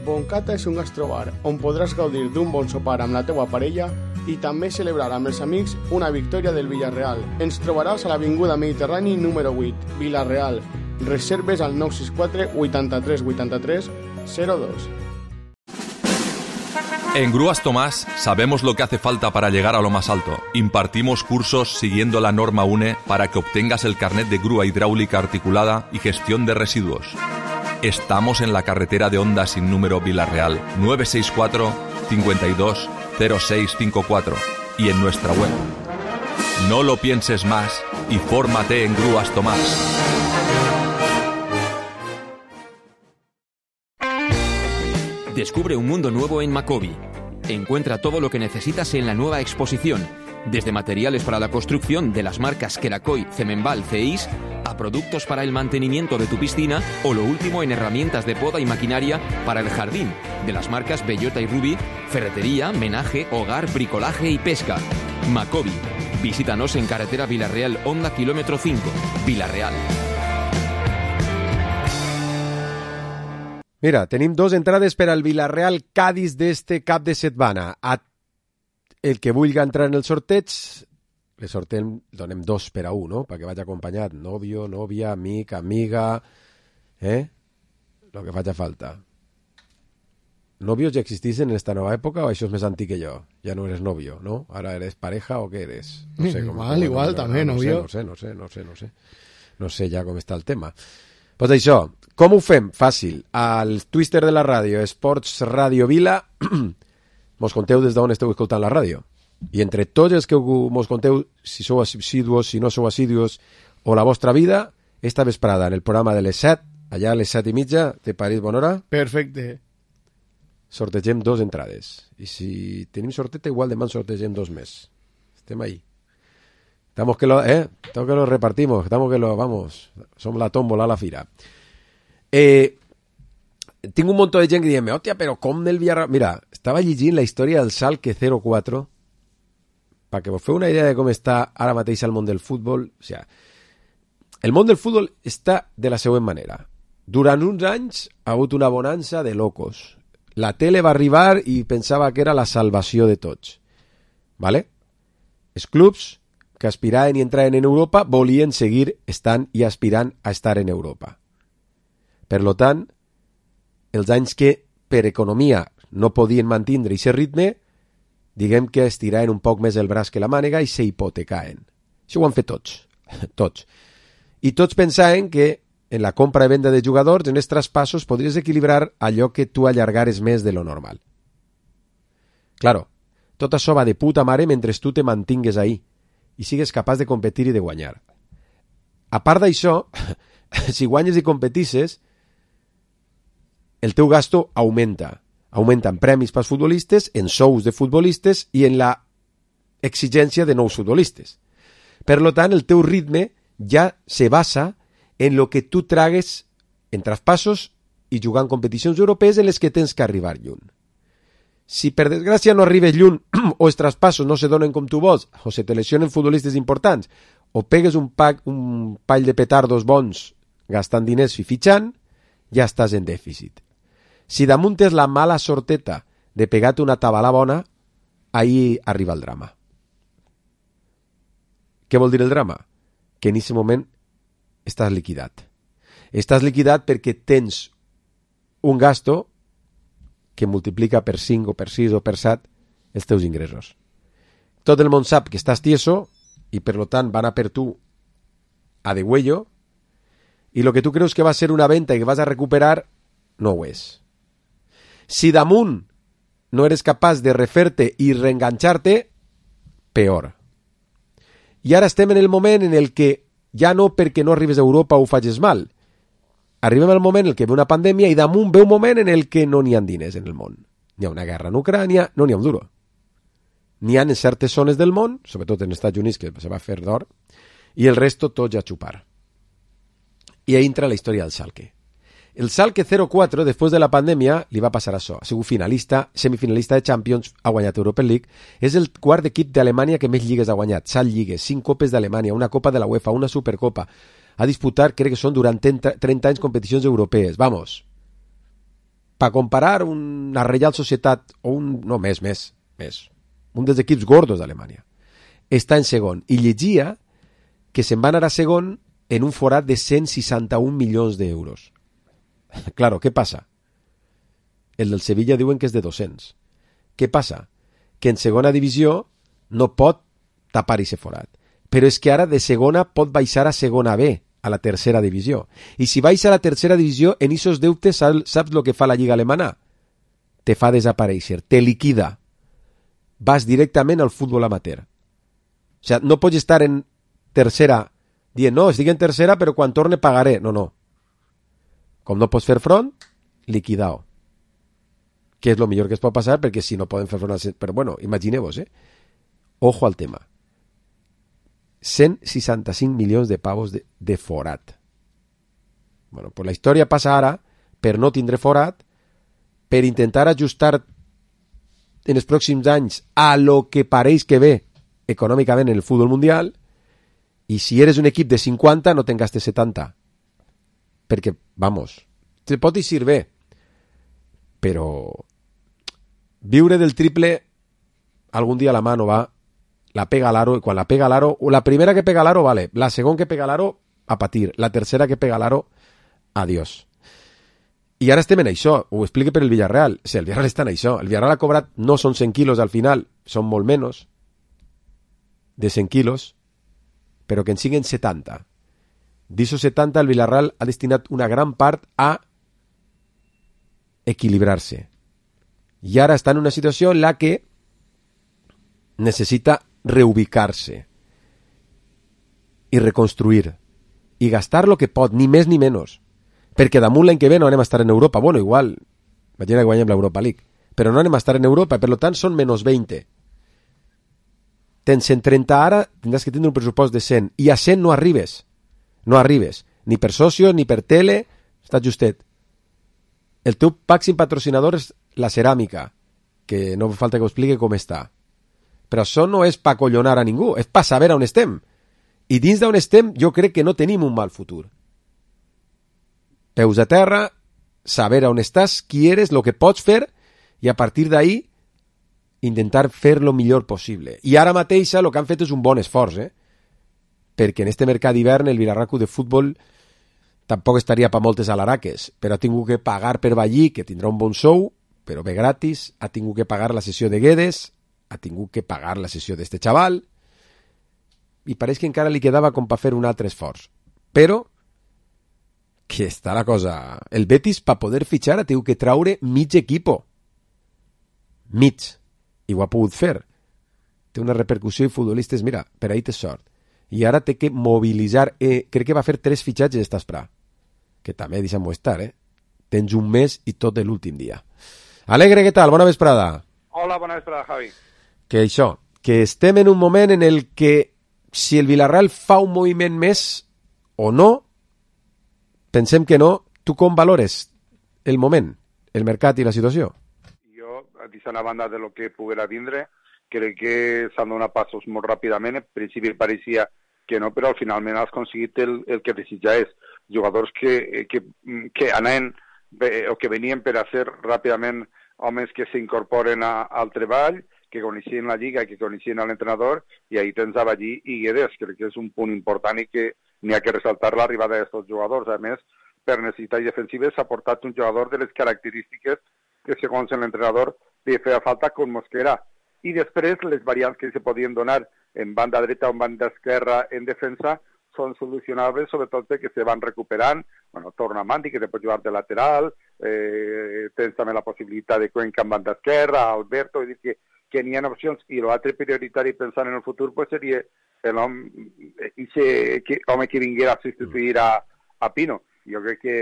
Boncata és un gastrobar on podràs gaudir d'un bon sopar amb la teua parella i també celebrar amb els amics una victòria del Villarreal. Ens trobaràs a l'Avinguda Mediterrani número 8, Villarreal. Reserves al 964 83 83 02. En Grúas Tomás sabemos lo que hace falta para llegar a lo más alto. Impartimos cursos siguiendo la norma UNE para que obtengas el carnet de grúa hidráulica articulada y gestión de residuos. Estamos en la carretera de Onda sin número Villarreal, 964 52 0654 y en nuestra web. No lo pienses más y fórmate en Grúas Tomás. Descubre un mundo nuevo en Macobi. Encuentra todo lo que necesitas en la nueva exposición, desde materiales para la construcción de las marcas Kerakoy, Cemenbal, CEIS, a productos para el mantenimiento de tu piscina o lo último en herramientas de poda y maquinaria para el jardín, de las marcas Bellota y Ruby, ferretería, menaje, hogar, bricolaje y pesca. Macobi. Visítanos en carretera Villarreal, Onda kilómetro 5, Villarreal. Mira, tenim 2 entrades per al Villarreal Cádiz d'este cap de setmana. El que vulgui entrar en el sorteig, le sorteem, donem 2 per a 1, no? Perquè vagi acompanyat, nòvio, nòvia, amic, amiga, lo que faci falta. ¿Novios ya existisen en esta nueva época o eso es más antiguo que yo? Ya no eres novio, ¿no? ¿Ahora eres pareja o qué eres? No sé igual, también, novio. No sé ja com està el tema. Pues això, com ho fem? Fàcil. Al Twitter de la ràdio, Esports Radio Vila, mos conteu des d'on esteu escoltant la ràdio. I entre tots els que mos conteu, si sou assidus, si no sou assidus, o la vostra vida, esta vesprada, en el programa de les 7, allà a les 7:30, te pareix bona hora? Perfecte. Sortegem 2 entrades. I si tenim sorteta, igual demà sortegem 2 més. Estem ahí. Estamos que lo repartimos, estamos que lo, vamos, som la tómbola a la fira. Tinc un montón de gent que diem, hòstia, però com del Villarreal... Mira, estava llegint la història del Schalke 04, perquè vos feu una idea de com està ara mateix el món del futbol. O sigui, el món del futbol està de la següent manera. Durant uns anys ha hagut una bonança de locos. La tele va arribar i pensava que era la salvació de tots. ¿Vale? Els clubs que aspiraven i entraven en Europa volien seguir estant i aspirant a estar en Europa. Per lo tant, els anys que per economia no podien mantindre aquest ritme, diguem que estiraven un poc més el braç que la mànega i s'hipotecaven. Això ho han fet tots. Tots. I tots pensaven que en la compra i venda de jugadors, en els traspassos, podries equilibrar allò que tu allargares més de lo normal. Claro, tot això va de puta mare mentre tu te mantingues ahí i sigues capaç de competir i de guanyar. A part d'això, si guanyes i competisses, el teu gasto augmenta. Augmenta en premis pels futbolistes, en sous de futbolistes i en la exigència de nous futbolistes. Per lo tant, el teu ritme ja se basa en lo que tu tragues en traspassos i jugar en competicions europees en les que tens que arribar lluny. Si per desgràcia no arribes lluny o els traspassos no se donen com tu vols o se te lesionen futbolistes importants o pegues un pall de petardos bons gastant diners i fitxant, ja estàs en dèficit. Si damunt és la mala sorteta de pegar-te una tabalà bona, ahí arriba el drama. Què vol dir el drama? Que en aquest moment estàs liquidat. Estàs liquidat perquè tens un gasto que multiplica per 5 o per 6 o per 7 els teus ingressos. Tot el món sap que estàs tieso i per lo tant van a per tu a degüello i lo que tu creus que va ser una venta i que vas a recuperar no ho és. Si damunt no eres capaç de refer-te i reenganxar-te, peor. I ara estem en el moment en el que ja no perquè no arribes a Europa ho facis mal. Arribem al moment en el que ve una pandèmia i damunt ve un moment en el que no n'hi ha diners en el món. N'hi ha una guerra en Ucrània, no n'hi ha un duro. N'hi ha en certes zones del món, sobretot en Estats Units, que se va fer d'or, i el resto tots a xupar. I ahí entra la història del Schalke. El Schalke 04, després de la pandèmia, li va passar això. Ha sigut finalista, semifinalista de Champions, ha guanyat Europa League. És el quart equip d'Alemanya que més lligues ha guanyat. 7 lligues, 5 copes d'Alemanya, una copa de la UEFA, una supercopa. Ha disputat, crec que són durant 30 anys, competicions europees. Vamos. Per comparar una Real Societat, o un... no, més. Un dels equips gordos d'Alemanya. Està en segon. I llegia que se'n va anar a segon en un forat de 161 milions d'euros. Claro, què passa? El del Sevilla diuen que és de 200. Què passa? Que en segona divisió no pot tapar ese forat. Però és que ara de segona pot baixar a segona B, a la tercera divisió. I si baixa a la tercera divisió, en esos deutes saps lo que fa la Lliga Alemana? Te fa desaparèixer, te liquida. Vas directament al futbol amateur. O sigui, no pots estar en tercera dient, no, estic en tercera però quan torne pagaré. No. Com no pots fer front, liquidao. Que és el millor que es pot passar perquè si no poden fer front... Però bueno, imagineu-vos, Ojo al tema. 165 milions de pavos de forat. Bueno, pues la història passa ara per no tindre forat, per intentar ajustar en els pròxims anys a lo que pareix que ve econòmicament en el futbol mundial, i si eres un equip de 50 no te'n gastes 70. Perquè, vamos, te pot eixir bé, però viure del triple algun dia la mà no va, la pega a l'aro, i quan la pega a l'aro, la primera que pega a l'aro, vale, la segona que pega a l'aro, a patir, la tercera que pega a l'aro, adiós. I ara estem en això, ho explico per el Villarreal. Sí, el Villarreal està en això. El Villarreal ha cobrat, no són 100 quilos al final, són molt menys de 100 quilos, però que en siguin 70. D'això 70, el Villarreal ha destinat una gran part a equilibrar-se. I ara està en una situació en la que necessita reubicar-se i reconstruir i gastar lo que pot, ni més ni menys, perquè damunt l'any que ve no anem a estar en Europa. Bueno, igual, imagina que guanyem l'Europa League, però no anem a estar en Europa, per tant són menys 20. Tens 130 ara, tindràs que tindre un pressupost de 100, i a 100 no arribes, ni per socios, ni per tele, està justet. El teu màxim patrocinador és la ceràmica, que no falta que ho expliqui com està. Però això no és pa collonar a ningú, és pa saber on estem. I dins d'on estem jo crec que no tenim un mal futur. Peus a terra, saber on estàs, qui eres, el que pots fer, i a partir d'ahí intentar fer lo millor possible. I ara mateix el que han fet és un bon esforç, perquè en este mercat d'hivern el Vilarraco de futbol tampoc estaria per moltes alaraques, però ha tingut que pagar per Vallí, que tindrà un bon sou, però bé gratis, ha tingut que pagar la sessió de Guedes, ha tingut que pagar la sessió d'este xaval, i pareix que encara li quedava com per fer un altre esforç. Però que està la cosa... El Betis, per poder fitxar, ha tingut que traure mig equipo. Mig. I ho ha pogut fer. Té una repercussió i futbolistes, mira, per ahí té sort. I ara té que mobilitzar... crec que va fer 3 fitxatges d'esta esprà. Que també deixem-ho estar, Tens un mes i tot de l'últim dia. Alegre, què tal? Bona vesprada. Hola, bona vesprada, Javi. Que això, que estem en un moment en el que si el Villarreal fa un moviment més o no, pensem que no, tu com valores el moment, el mercat i la situació? Jo, deixant a banda de lo que poguera vindre, crec que s'han donat passos molt ràpidament. En principi pareixia que no, però finalment has aconseguit el que desitjaves. Jugadors que anaven o que venien per a ser ràpidament homes que s'incorporen al treball, que coneixien la lliga i que coneixien l'entrenador, i ahí tens a Vallí i Guedes. Crec que és un punt important i que n'hi ha que ressaltar l'arribada d'aquests jugadors. A més, per necessitats defensives s'ha portat un jugador de les característiques que, segons l'entrenador, li feia falta con Mosquera. I després, les variants que se podien donar en banda dreta o en banda esquerra en defensa són solucionables, sobretot perquè se van recuperant. Bueno, torna Mandi, que te pot jugar de lateral, tens també la possibilitat de Cuenca en banda esquerra, Alberto, és dir, que n'hi ha opcions, i l'altre prioritari pensant en el futur pues seria l'home que vinguera a substituir a Pino. Jo crec que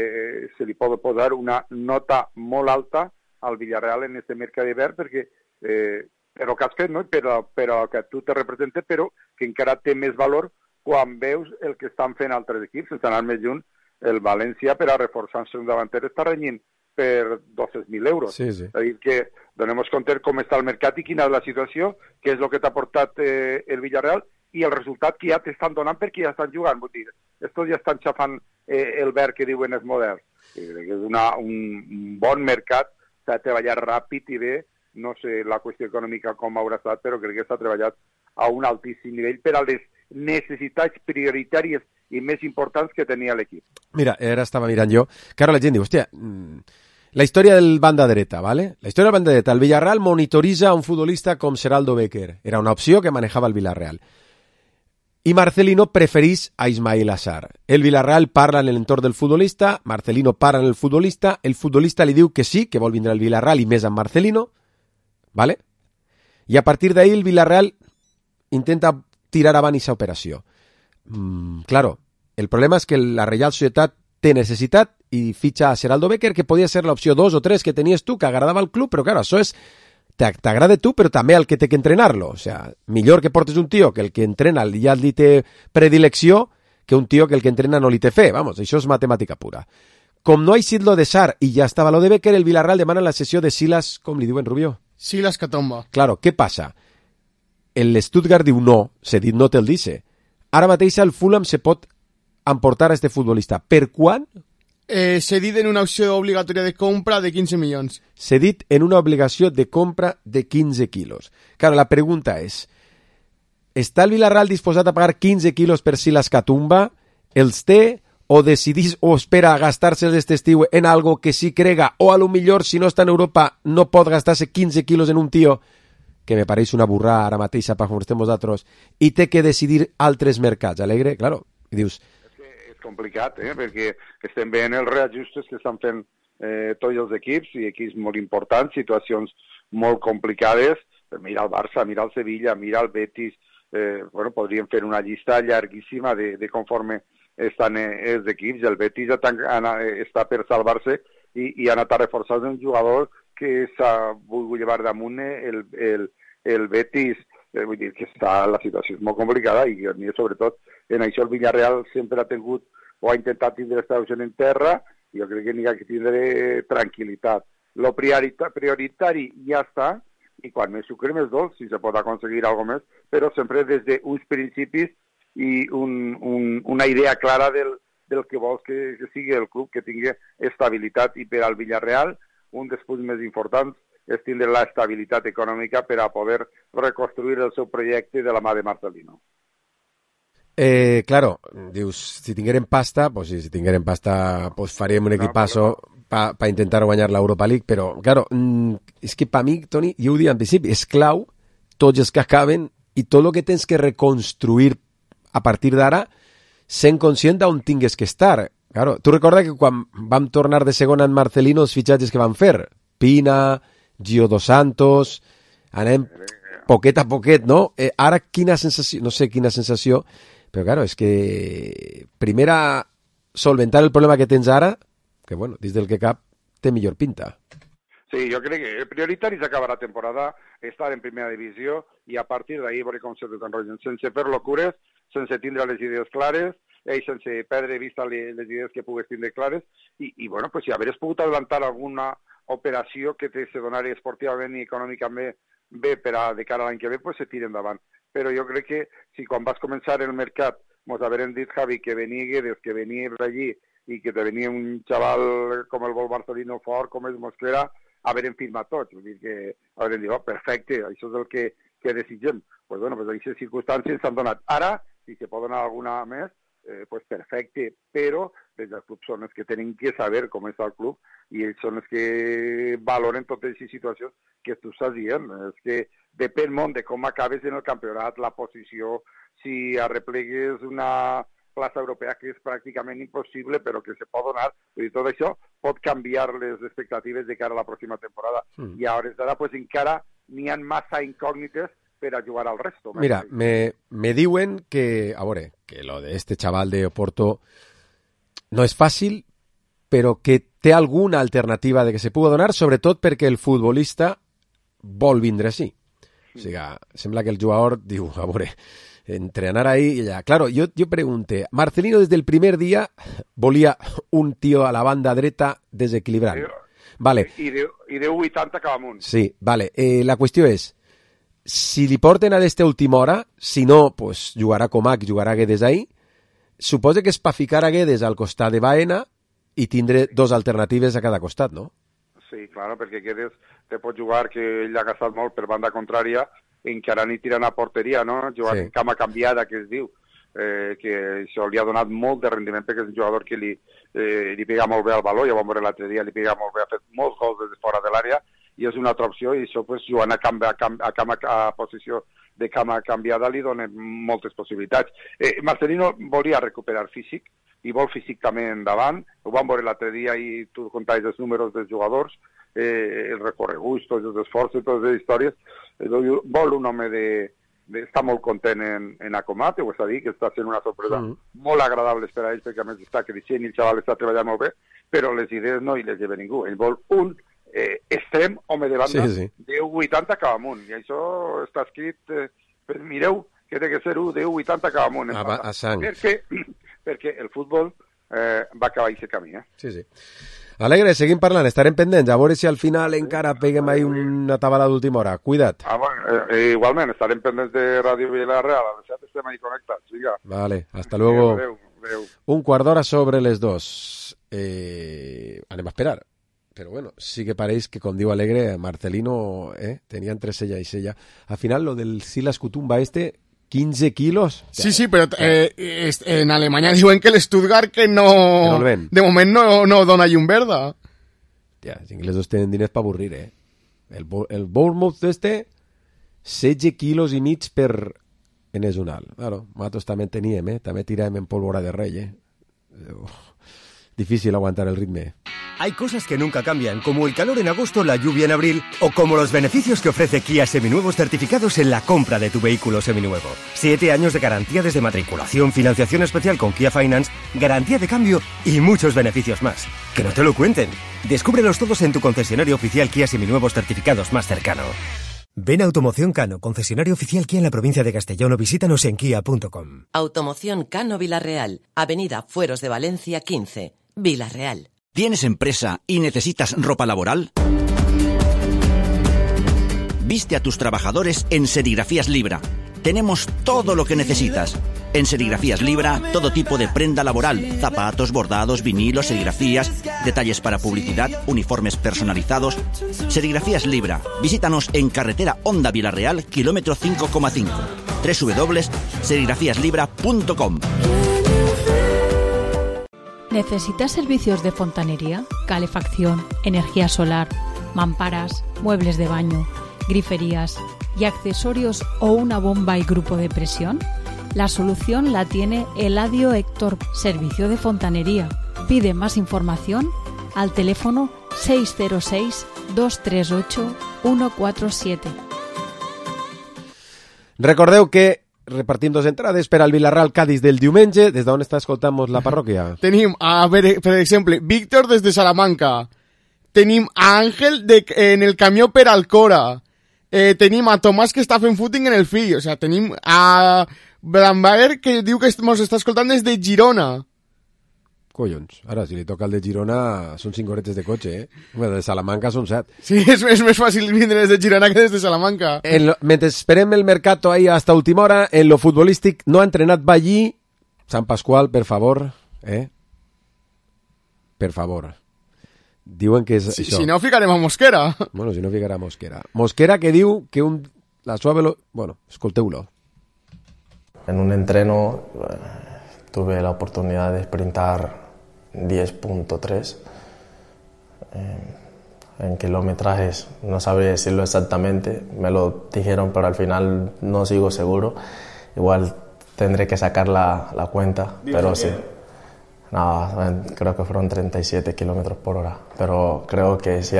se li pot posar una nota molt alta al Villarreal en este mercat d'hivern, perquè per el que has fet, no? però que tu te representes, però que encara té més valor quan veus el que estan fent altres equips. Sense anar més lluny, el València, per a reforçar-se un davanter, està renyint per 200.000 euros. Sí, sí. És a dir, que donem-nos compte com està el mercat i quina és la situació, què és el que t'ha portat el Villarreal i el resultat que ja t'estan donant perquè ja estan jugant. Vull dir, estos ja estan xafant el verd que diuen els moderns. És un bon mercat, s'ha treballat ràpid i bé. No sé la qüestió econòmica com haurà estat, però crec que s'ha treballat a un altíssim nivell per a les necessitats prioritàries i més importants que tenia l'equip. Mira, ara estava mirant jo, que ara la gent diu, hòstia, la història del banda dreta, ¿vale? La història del banda dreta. El Villarreal monitoritza a un futbolista com Geraldo Becker. Era una opció que manejava el Villarreal. I Marcelino preferís a Ismail Assar. El Villarreal parla en l'entorn del futbolista, Marcelino parla en el futbolista li diu que sí, que vol vindre al Villarreal i més amb Marcelino, ¿vale? I a partir d'ahí el Villarreal intenta tirar avant aquesta operació. Claro, el problema és que la Reial Societat té necessitat i fitxa a Geraldo Becker, que podia ser l'opció 2 o 3 que tenies tu, que agradava al club, però claro, això és... T'agrada tu, però també el que té que entrenar-lo. O sea, millor que portes un tio que el que entrena ja li té predilecció que un tio que el que entrena no li té fe. Vamos, això és matemàtica pura. Com no ha eixit lo de Sar i ja estava lo de Becker, el Villarreal demana la sessió de Silas, com li diuen, Rubió? Silas Catomba. Claro, què passa? El Stuttgart diu no, se dit no te'l dice. Ara mateix el Fulham se pot emportar a este futbolista. Per quan? Cedit en una opció obligatòria de compra de 15 milions. Cedit en una obligació de compra de 15 quilos. Claro, la pregunta és, està el Villarreal disposat a pagar 15 quilos per Silas Catumba? Els té o decidís o espera a gastar-se este estiu en algo que sí crega, o a lo millor si no està en Europa no pot gastar-se 15 quilos en un tio, que me pareix una burrada ara mateixa per com estem vosaltres, i té que decidir altres mercats. Alegre, claro, i dius... És complicat, perquè estem veient els reajustos que estan fent tots els equips, i equips molt importants, situacions molt complicades. Mira el Barça, mira el Sevilla, mira el Betis, podríem fer una llista llarguíssima de conforme estan els equips. El Betis està per salvar-se i ha anat a reforçar un jugador que s'ha volgut llevar damunt el Betis. Vull dir que la situació és molt complicada, i sobretot en això el Villarreal sempre ha tingut o ha intentat tindre estació en terra, i jo crec que n'hi ha que tindre tranquil·litat. Lo prioritari ja està, i quan més sucre més dolç, si se pot aconseguir alguna més, però sempre des d'uns principis i una idea clara del que vols que sigui el club, que tingui estabilitat. I per al Villarreal, un dels punts més importants és tindre l'estabilitat econòmica per a poder reconstruir el seu projecte de la mà de Marcelino. Claro, dius, si tinguérem pasta, pues sí, si tinguérem pasta, pues faríem un equipazo para intentar guanyar l'Europa League, però, claro, és que per mi, Toni, jo ho dic en principi, és clau tots els que acaben i tot el que tens que reconstruir a partir d'ara, sent conscient d'on tingues que estar. Claro, tu recorda que quan vam tornar de segona en Marcelino, els fitxatges que van fer, Pina, Gio Dos Santos, anem poquet a poquet, no? Ara quina sensació, no sé quina sensació, però claro, és que primera solventar el problema que tens ara, que bueno, dins del que cap té millor pinta. Sí, jo crec que el prioritari és acabar la temporada, estar en primera divisió, i a partir d'ahir veure com se desenvolupen, sense fer locures, sense tindre les idees clares, sense perdre vista les idees que pugues tindre clares, i bueno, pues, si hagués pogut adelantar alguna operació que se donari esportivament i econòmicament bé per a de cara a l'any que ve, pues se tira endavant. Però jo crec que si quan vas començar el mercat mos haurem dit, Javi, que venia Guedes, que venia d'allí, i que te venia un xaval com el vol Marcelino fort, com és Mosquera, haurem firmat tots. Vull dir que haurem dit, perfecte, això és el que desitgem. Pues bueno, pues aquestes circumstàncies s'han donat. Ara, si se pot donar alguna més, pues perfecte, però des dels clubs són els que tenen que saber com està el club, i ells són els que valoren totes aquestes situacions que tu estàs dient. És que depèn molt de com acabes en el campionat, la posició, si arreplegues una plaça europea que és pràcticament impossible, però que se pot donar. I tot això pot canviar les expectatives de cara a la pròxima temporada. I a hores d'ara, pues, encara n'hi ha massa incògnites per a jugar al resto. Mira, me diuen que, a veure, que lo de este chaval de Oporto no és fàcil, però que té alguna alternativa de que se pugui donar, sobretot perquè el futbolista vol vindre així. O sigui, sembla que el jugador diu, a veure, entrenar ahí y ya. Claro, yo pregunté, Marcelino desde el primer día volia un tío a la banda dreta desequilibrant. Vale. I de 1,80 cap amunt. Sí, vale. La qüestió és, si li porten a d'esta última hora, si no, pues jugarà Comac, jugarà Guedes ahí, suposa que és per ficar a Guedes al costat de Baena i tindre dos alternatives a cada costat, no? Sí, claro, perquè Guedes te pot jugar, que ell ha gastat molt per banda contrària, encara ni tirant a porteria, no? Jugar en cama canviada, que es diu, que això li ha donat molt de rendiment, perquè és un jugador que li pega molt bé al baló, ja vam veure l'altre dia, li pega molt bé, ha fet molts gols des de fora de l'àrea, i és una altra opció, i això, pues, jugant a posició de cama canviada li dona moltes possibilitats. Marcelino volia recuperar físic, i vol físic també endavant, ho vam veure l'altre dia, i tu contaves els números dels jugadors, el recorregut, tots els esforços, totes les històries. Vol un home està molt content en Acomat, ho està dir, que està sent una sorpresa molt agradable per a ell, perquè a més està creixent i el xaval està treballant molt bé, però les idees no hi les lleva ningú. Ell vol un extrem home de banda de 1,80 cap amunt, i això està escrit, mireu que té que ser de 1,80 cap amunt a sang, perquè el futbol va acabar aquest camí. Sí. Alegre, seguim parlant, estarem pendents, a veure si al final encara peguem ahí una tabala d'última hora. Cuida't. Igualment, estarem pendents de Ràdio Villarreal, a veure si estem ahí connectats. Vinga. Vale, hasta luego. Adeu. Un quart d'hora sobre les 2. Anem a esperar. Però bueno, sí que pareix que, com diu Alegre, Marcelino tenia entre sella i sella. Al final, lo del Silas Kutumba 15 kilos. Sí, pero en Alemanya diuen que l'Stuttgart que no el ven. De moment no dona llum verda. Ja, els inglesos tenen diners per avorrir, El Bournemouth 16 quilos i mig per en és un alt. Claro, nosaltres també teníem, també tiràvem en pólvora de rey, Difícil aguantar el ritmo. Hay cosas que nunca cambian, como el calor en agosto, la lluvia en abril, o como los beneficios que ofrece Kia Seminuevos certificados en la compra de tu vehículo seminuevo. 7 años de garantía desde matriculación, financiación especial con Kia Finance, garantía de cambio y muchos beneficios más. Que no te lo cuenten. Descúbrelos todos en tu concesionario oficial Kia Seminuevos certificados más cercano. Ven a Automoción Cano, concesionario oficial Kia en la provincia de Castellón, o visítanos en kia.com. Automoción Cano Vilarreal, Avenida Fueros de Valencia 15, Vilarreal. ¿Tienes empresa y necesitas ropa laboral? Viste a tus trabajadores en Serigrafías Libra. Tenemos todo lo que necesitas. En Serigrafías Libra, todo tipo de prenda laboral, zapatos, bordados, vinilos, serigrafías, detalles para publicidad, uniformes personalizados. Serigrafías Libra. Visítanos en carretera Honda Vilarreal, kilómetro 5,5. www.serigrafíaslibra.com. ¿Necesitas servicios de fontanería, calefacción, energía solar, mamparas, muebles de baño, griferías y accesorios o una bomba y grupo de presión? La solución la tiene Eladio Héctor, servicio de fontanería. Pide más información al teléfono 606-238-147. Recordeu que repartim 2 entrades per al Villarreal Cádiz del diumenge. Des d'on està escoltant la parròquia? Tenim, a veure, per exemple, Víctor des de Salamanca. Tenim a Àngel en el camió per Alcora. Tenim a Tomàs que està fent footing en el fill. O sea, tenim a Brambaer que diu que ens està escoltant des de Girona. Collons, ara si li toca el de Girona són 5 horetes de cotxe, Home, de Salamanca són 7. Sí, és més fàcil vindre des de Girona que des de Salamanca. Mentre esperem el mercato ahí hasta última hora, en lo futbolístic no ha entrenat Ballí. Sant Pasqual, per favor, Per favor. Diuen que és això. Si no, ficarem a Mosquera. Bueno, si no ficarà a Mosquera. Mosquera que diu que la suave... Bueno, escolteu-lo. En un entreno tuve la oportunidad de sprintar 10.3 en kilometrajes, no sabría decirlo exactamente, me lo dijeron, pero al final no sigo seguro. Igual tendré que sacar la cuenta, pero sí. No, creo que fueron 37 kilómetros por hora, pero creo que sí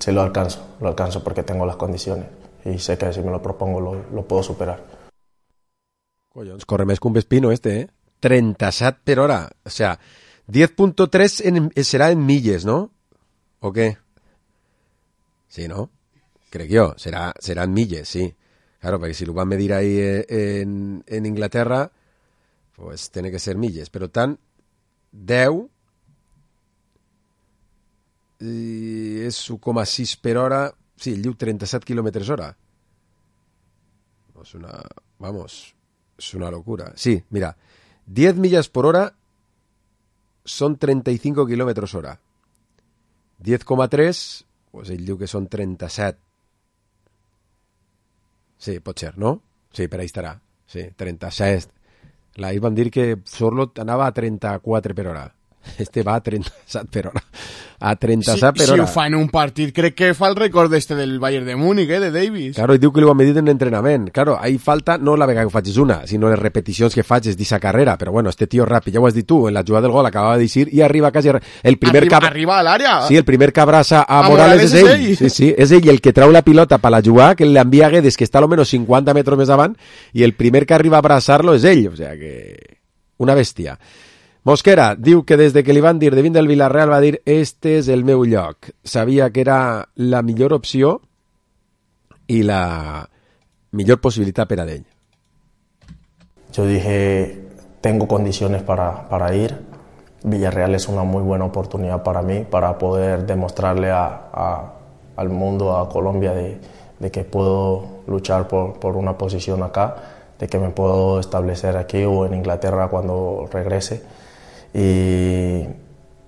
lo alcanzo porque tengo las condiciones y sé que si me lo propongo lo puedo superar. Collons, corre més que un Vespino 37 per hora, o sea, 10.3 serà en milles, ¿no? ¿O qué? Sí, ¿no? Crec jo, serà en milles, sí. Claro, perquè si lo van medir ahí en Inglaterra, pues tiene que ser milles. Però tant, 10 és 1,6 per hora, sí, el diu 37 kilómetros hora. És una... Vamos, es una locura. Sí, mira, 10 millas por hora son 35 kilómetros hora. 10,3, pues ell diu que són 37. Sí, pot ser, no? Sí, per ahí estarà. Sí, 37. Ahir van dir que Sorlot anava a 34 per hora. Este va a 37 per hora. A 37 per hora. Si ho fa en un partit, crec que fa el record del Bayern de Múnich, de Davis. Claro, i diu que li ho han medit en entrenament. Claro, ahí falta no la vegada que facis una, sinó les repeticions que facis d'esa carrera. Però bueno, este tío ràpid, ja ho has dit tu, en la jugada del gol acabava de dir i arriba quasi... El primer arriba a l'àrea. Sí, el primer que abraça a Morales és ell. Sí, sí, és ell el que trau la pilota per la jugada, que l'envia a Guedes, que està a lo menos 50 metres més avant, i el primer que arriba a abraçar-lo és ell. O sea que... Una bèstia. Mosquera diu que des de que li van dir de vindre del Villarreal va dir este és el meu lloc. Sabia que era la millor opció i la millor possibilitat per a ell. Yo dije, tengo condiciones para ir. Villarreal es una muy buena oportunidad para mí, para poder demostrarle al mundo, a Colombia, de que puedo luchar por una posición acá, de que me puedo establecer aquí o en Inglaterra cuando regrese. Y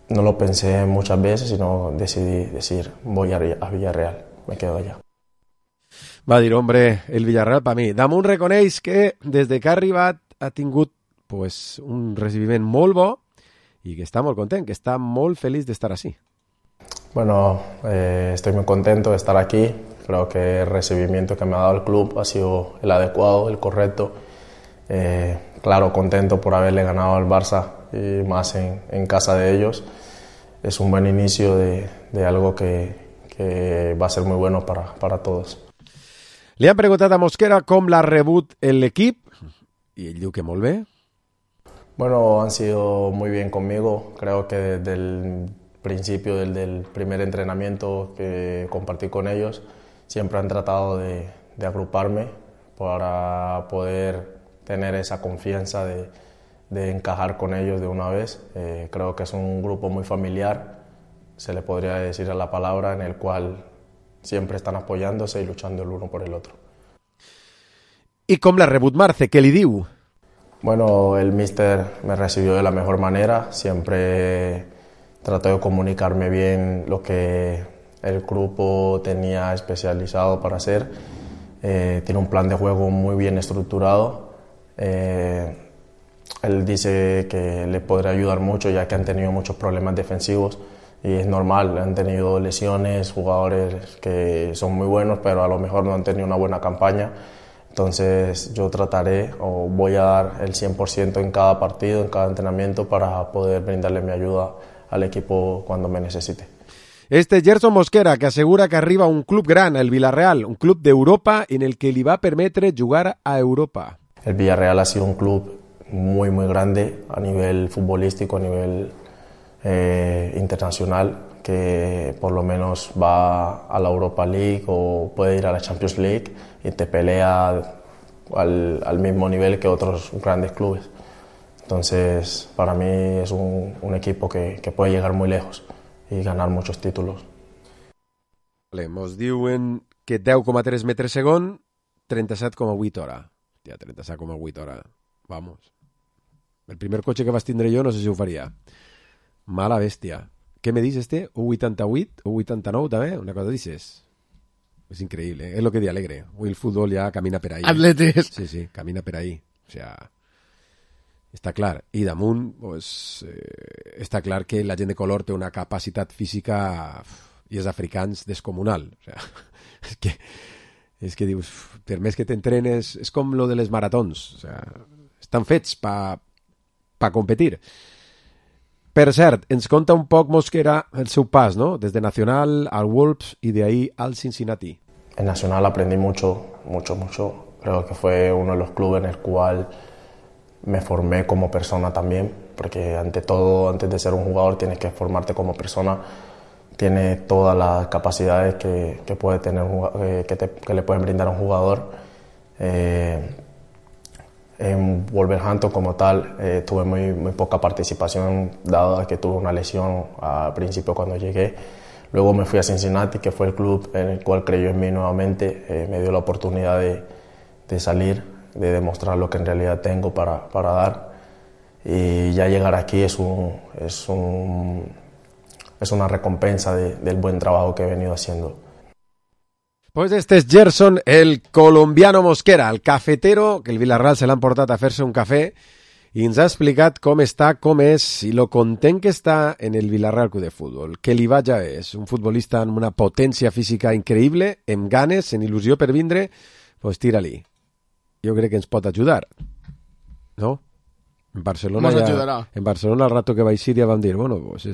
no lo pensé muchas veces, sino decidí decir, voy a Villarreal, me quedo allá. Va dir, hombre, el Villarreal per mi. Damunt reconeix que des de que ha arribat ha tingut pues, un recibiment molt bo y que está muy contento, que está muy feliz de estar así. Bueno, estoy muy contento de estar aquí. Creo que el recibimiento que me ha dado el club ha sido el adecuado, el correcto. Claro, contento por haberle ganado al Barça y más en casa de ellos. Es un buen inicio de algo que va a ser muy bueno para todos. Le han preguntat a Mosquera com l'ha rebut l'equip i ell diu que molt bé. Bueno, han sido muy bien conmigo. Creo que desde el principio del primer entrenamiento que compartí con ellos, siempre han tratado de agruparme para poder tener esa confianza de encajar con ellos de una vez. Creo que es un grupo muy familiar, se le podría decir a la palabra, en el cual siempre están apoyándose y luchando el uno por el otro. I com l'ha rebut Marce? Què li diu? Bueno, el míster me recibió de la mejor manera, siempre trató de comunicarme bien lo que el grupo tenía especializado para hacer. Tiene un plan de juego muy bien estructurado. Él dice que le podrá ayudar mucho ya que han tenido muchos problemas defensivos y es normal, han tenido lesiones, jugadores que son muy buenos pero a lo mejor no han tenido una buena campaña. Entonces yo trataré o voy a dar el 100% en cada partido, en cada entrenamiento para poder brindarle mi ayuda al equipo cuando me necesite. Este Gerson Mosquera, que assegura que arriba un club gran, el Villarreal, un club d'Europa en el que li va permetre jugar a Europa. El Villarreal ha sido un club muy grande a nivel futbolístico, a nivel internacional, que por lo menos va a la Europa League o puede ir a la Champions League y te pelea al mismo nivel que otros grandes clubes. Entonces, para mí es un equipo que puede llegar muy lejos y ganar muchos títulos. Vale, mos diuen que 10,3 metres segon, 37,8 hora. Hòstia, 37,8 hora. Vamos. El primer cotxe que vas tindre jo no sé si ho faria. Mala bèstia. Què me dius este? 1,88? 1,89 també? Una cosa dices. Es increíble, es lo que di alegre. Hoy el fútbol ya camina per ahí. Atletes. Sí, camina per ahí. O sea, està clar. I damunt, pues, està clar que la gent de color té una capacitat física i és africans descomunal. O sea, és que dius, per més que t'entrenes, és com lo de les maratons. O sea, estan fets pa competir. Per cert, ens conta un poc Mosquera el seu pas, ¿no? Desde Nacional al Wolves y de ahí al Cincinnati. En Nacional aprendí mucho. Creo que fue uno de los clubes en el cual me formé como persona también, porque ante todo, antes de ser un jugador, tienes que formarte como persona. Tienes todas las capacidades que puede tener, que le pueden brindar a un jugador. En Wolverhampton como tal tuve muy poca participación dado que tuve una lesión al principio cuando llegué. Luego me fui a Cincinnati, que fue el club en el cual creyó en mí nuevamente, me dio la oportunidad de salir, de demostrar lo que en realidad tengo para dar, y ya llegar aquí es una recompensa del buen trabajo que he venido haciendo. Pues este es Gerson, el colombiano Mosquera, el cafetero, que el Villarreal se l'han portat a fer-se un cafè i ens ha explicat com està, com és i lo content que està en el Villarreal Club de Futbol. Que li vaja bé, és un futbolista amb una potència física increïble, amb ganes, en il·lusió per vindre, pues tira-li. Jo crec que ens pot ajudar, no? En Barcelona al rato que vais a ir ya van a decir, bueno, pues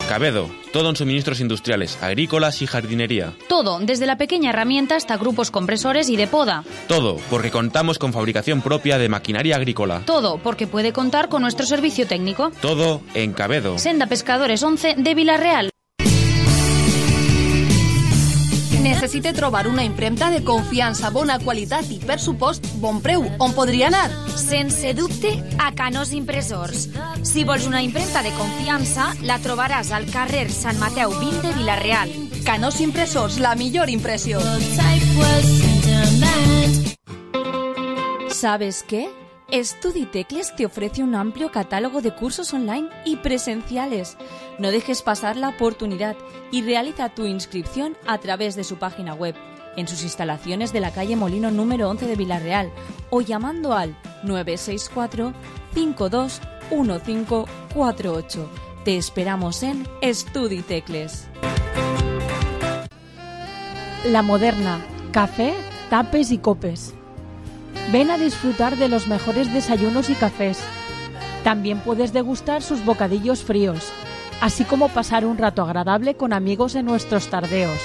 Cabedo, todo en suministros industriales, agrícolas y jardinería. Todo, desde la pequeña herramienta hasta grupos compresores y de poda. Todo, porque contamos con fabricación propia de maquinaria agrícola. Todo, porque puede contar con nuestro servicio técnico. Todo en Cabedo. Senda Pescadores 11 de Villarreal. Necessite trobar una impremta de confiança, bona qualitat i, per supost, bon preu. On podria anar? Sense dubte, a Canós Impressors. Si vols una impremta de confiança, la trobaràs al carrer Sant Mateu 20 de Villarreal. Canós Impressors, la millor impressió. ¿Sabes qué? Estuditecles te ofrece un amplio catálogo de cursos online y presenciales. No dejes pasar la oportunidad y realiza tu inscripción a través de su página web en sus instalaciones de la calle Molino número 11 de Villarreal o llamando al 964 52 1548. Te esperamos en Estudi Tecles. La Moderna, café, tapes y copes. Ven a disfrutar de los mejores desayunos y cafés. También puedes degustar sus bocadillos fríos, así como pasar un rato agradable con amigos en nuestros tardeos.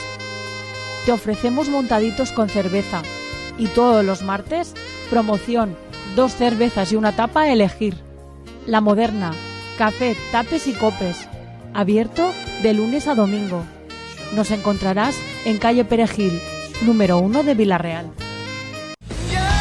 Te ofrecemos montaditos con cerveza y todos los martes, promoción, 2 cervezas y una tapa a elegir. La Moderna, café, tapes y copes, abierto de lunes a domingo. Nos encontrarás en calle Perejil, número 1 de Villarreal.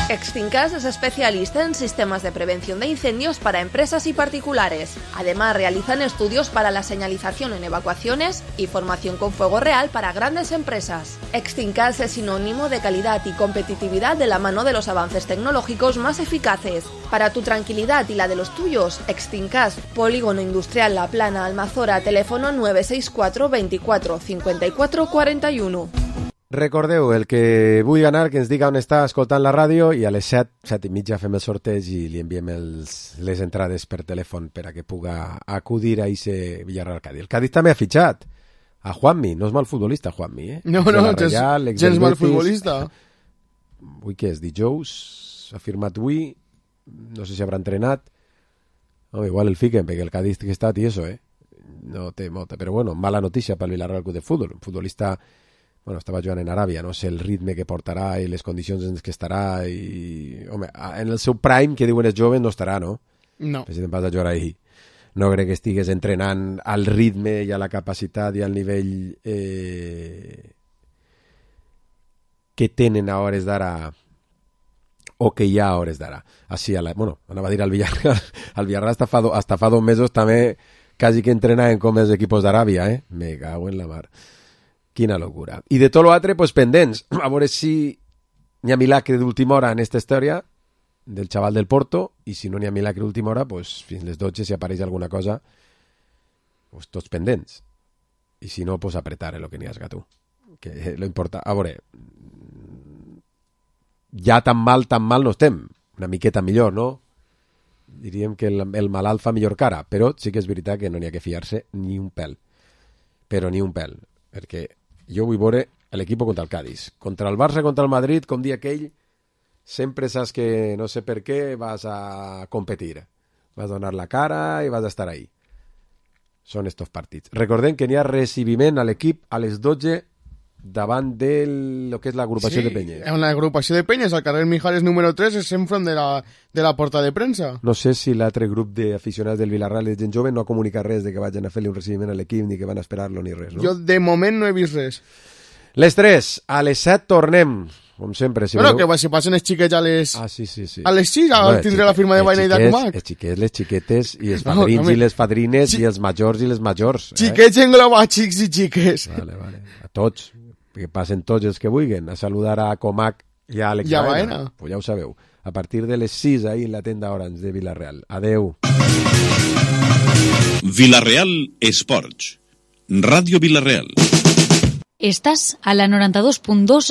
Extincas es especialista en sistemas de prevención de incendios para empresas y particulares. Además, realizan estudios para la señalización en evacuaciones y formación con fuego real para grandes empresas. Extincas es sinónimo de calidad y competitividad de la mano de los avances tecnológicos más eficaces. Para tu tranquilidad y la de los tuyos, Extincas, Polígono Industrial La Plana, Almazora, teléfono 964 24 54 41. Recordeu, el que vulgui anar, que ens diga on està escoltant la ràdio, i a les 7:30 fem el sorteig i li enviem les entrades per telèfon per a que puga acudir a ese Villarreal Cádiz. El Cádiz també ha fitxat a Juanmi, no és mal futbolista Juanmi, eh? No, gens mal futbolista. Avui què és, dijous, ha firmat avui, no sé si haurà entrenat, no, igual el fiquen, perquè el Cádiz que està tieso, no té molta, però bueno, mala notícia pel Villarreal Club de Futbol, un futbolista... Bueno, estava jugant en Aràbia, no sé el ritme que portarà i les condicions en què estarà i... Home, en el seu prime, que diuen els joves, no estarà, no? No. Si te'n vas a jugar ahí. No crec que estigues entrenant al ritme i a la capacitat i al nivell que tenen a hores d'ara o que hi ha a hores d'ara. Així, bueno, anava a dir al Villarreal. Al Villarreal hasta fa 2 mesos també quasi que entrenaven com els equipos d'Aràbia, eh? Me cago en la mar. Quina locura. I de tot l'altre, pues, pendents. A veure si n'hi ha milagre d'última hora en aquesta història del xaval del Porto, i si no n'hi ha milagre d'última hora, pues, fins les 12, si apareix alguna cosa, pues, tots pendents. I si no, pues, apretar el que n'hi has tu. Que lo importa. A veure, ja tan mal no estem. Una miqueta millor, no? Diríem que el malalt fa millor cara, però sí que és veritat que no n'hi ha que fiar-se ni un pèl. Però ni un pèl. Perquè jo vull veure l'equip contra el Cádiz. Contra el Barça, contra el Madrid, com dia aquell, sempre saps que no sé per què vas a competir. Vas a donar la cara i vas a estar ahí. Són estos partits. Recordem que n'hi ha recibiment a l'equip a les 12 davant de lo que és l'agrupació de Penyes. Sí, en l'agrupació de Penyes, al carrer Mijares número 3, és enfront de la porta de premsa. No sé si l'altre grup d'aficionats del Villarreal de gent jove no ha comunicat res de que vagin a fer-li un recibiment a l'equip ni que van a esperar-lo ni res, no? Jo de moment no he vist res. Les 3, a les 7 tornem, com sempre. Si bueno, que si passen els xiquets a les... Ah, sí. A les 6 tindré la firma de Baina i d'Acumac. Els xiquets, les xiquetes, i els padrins i les padrines, i els majors i les majors. Xiquets engloba xics i xiques. Vale. A tots. Que passen tots els que vulguin a saludar a Comac i a Àlex Baena. Pues ja ho sabeu. A partir de les 6 ahí en la tenda Orange de Villarreal. Adeu. Villarreal Esports. Ràdio Villarreal. Estás a la 92.2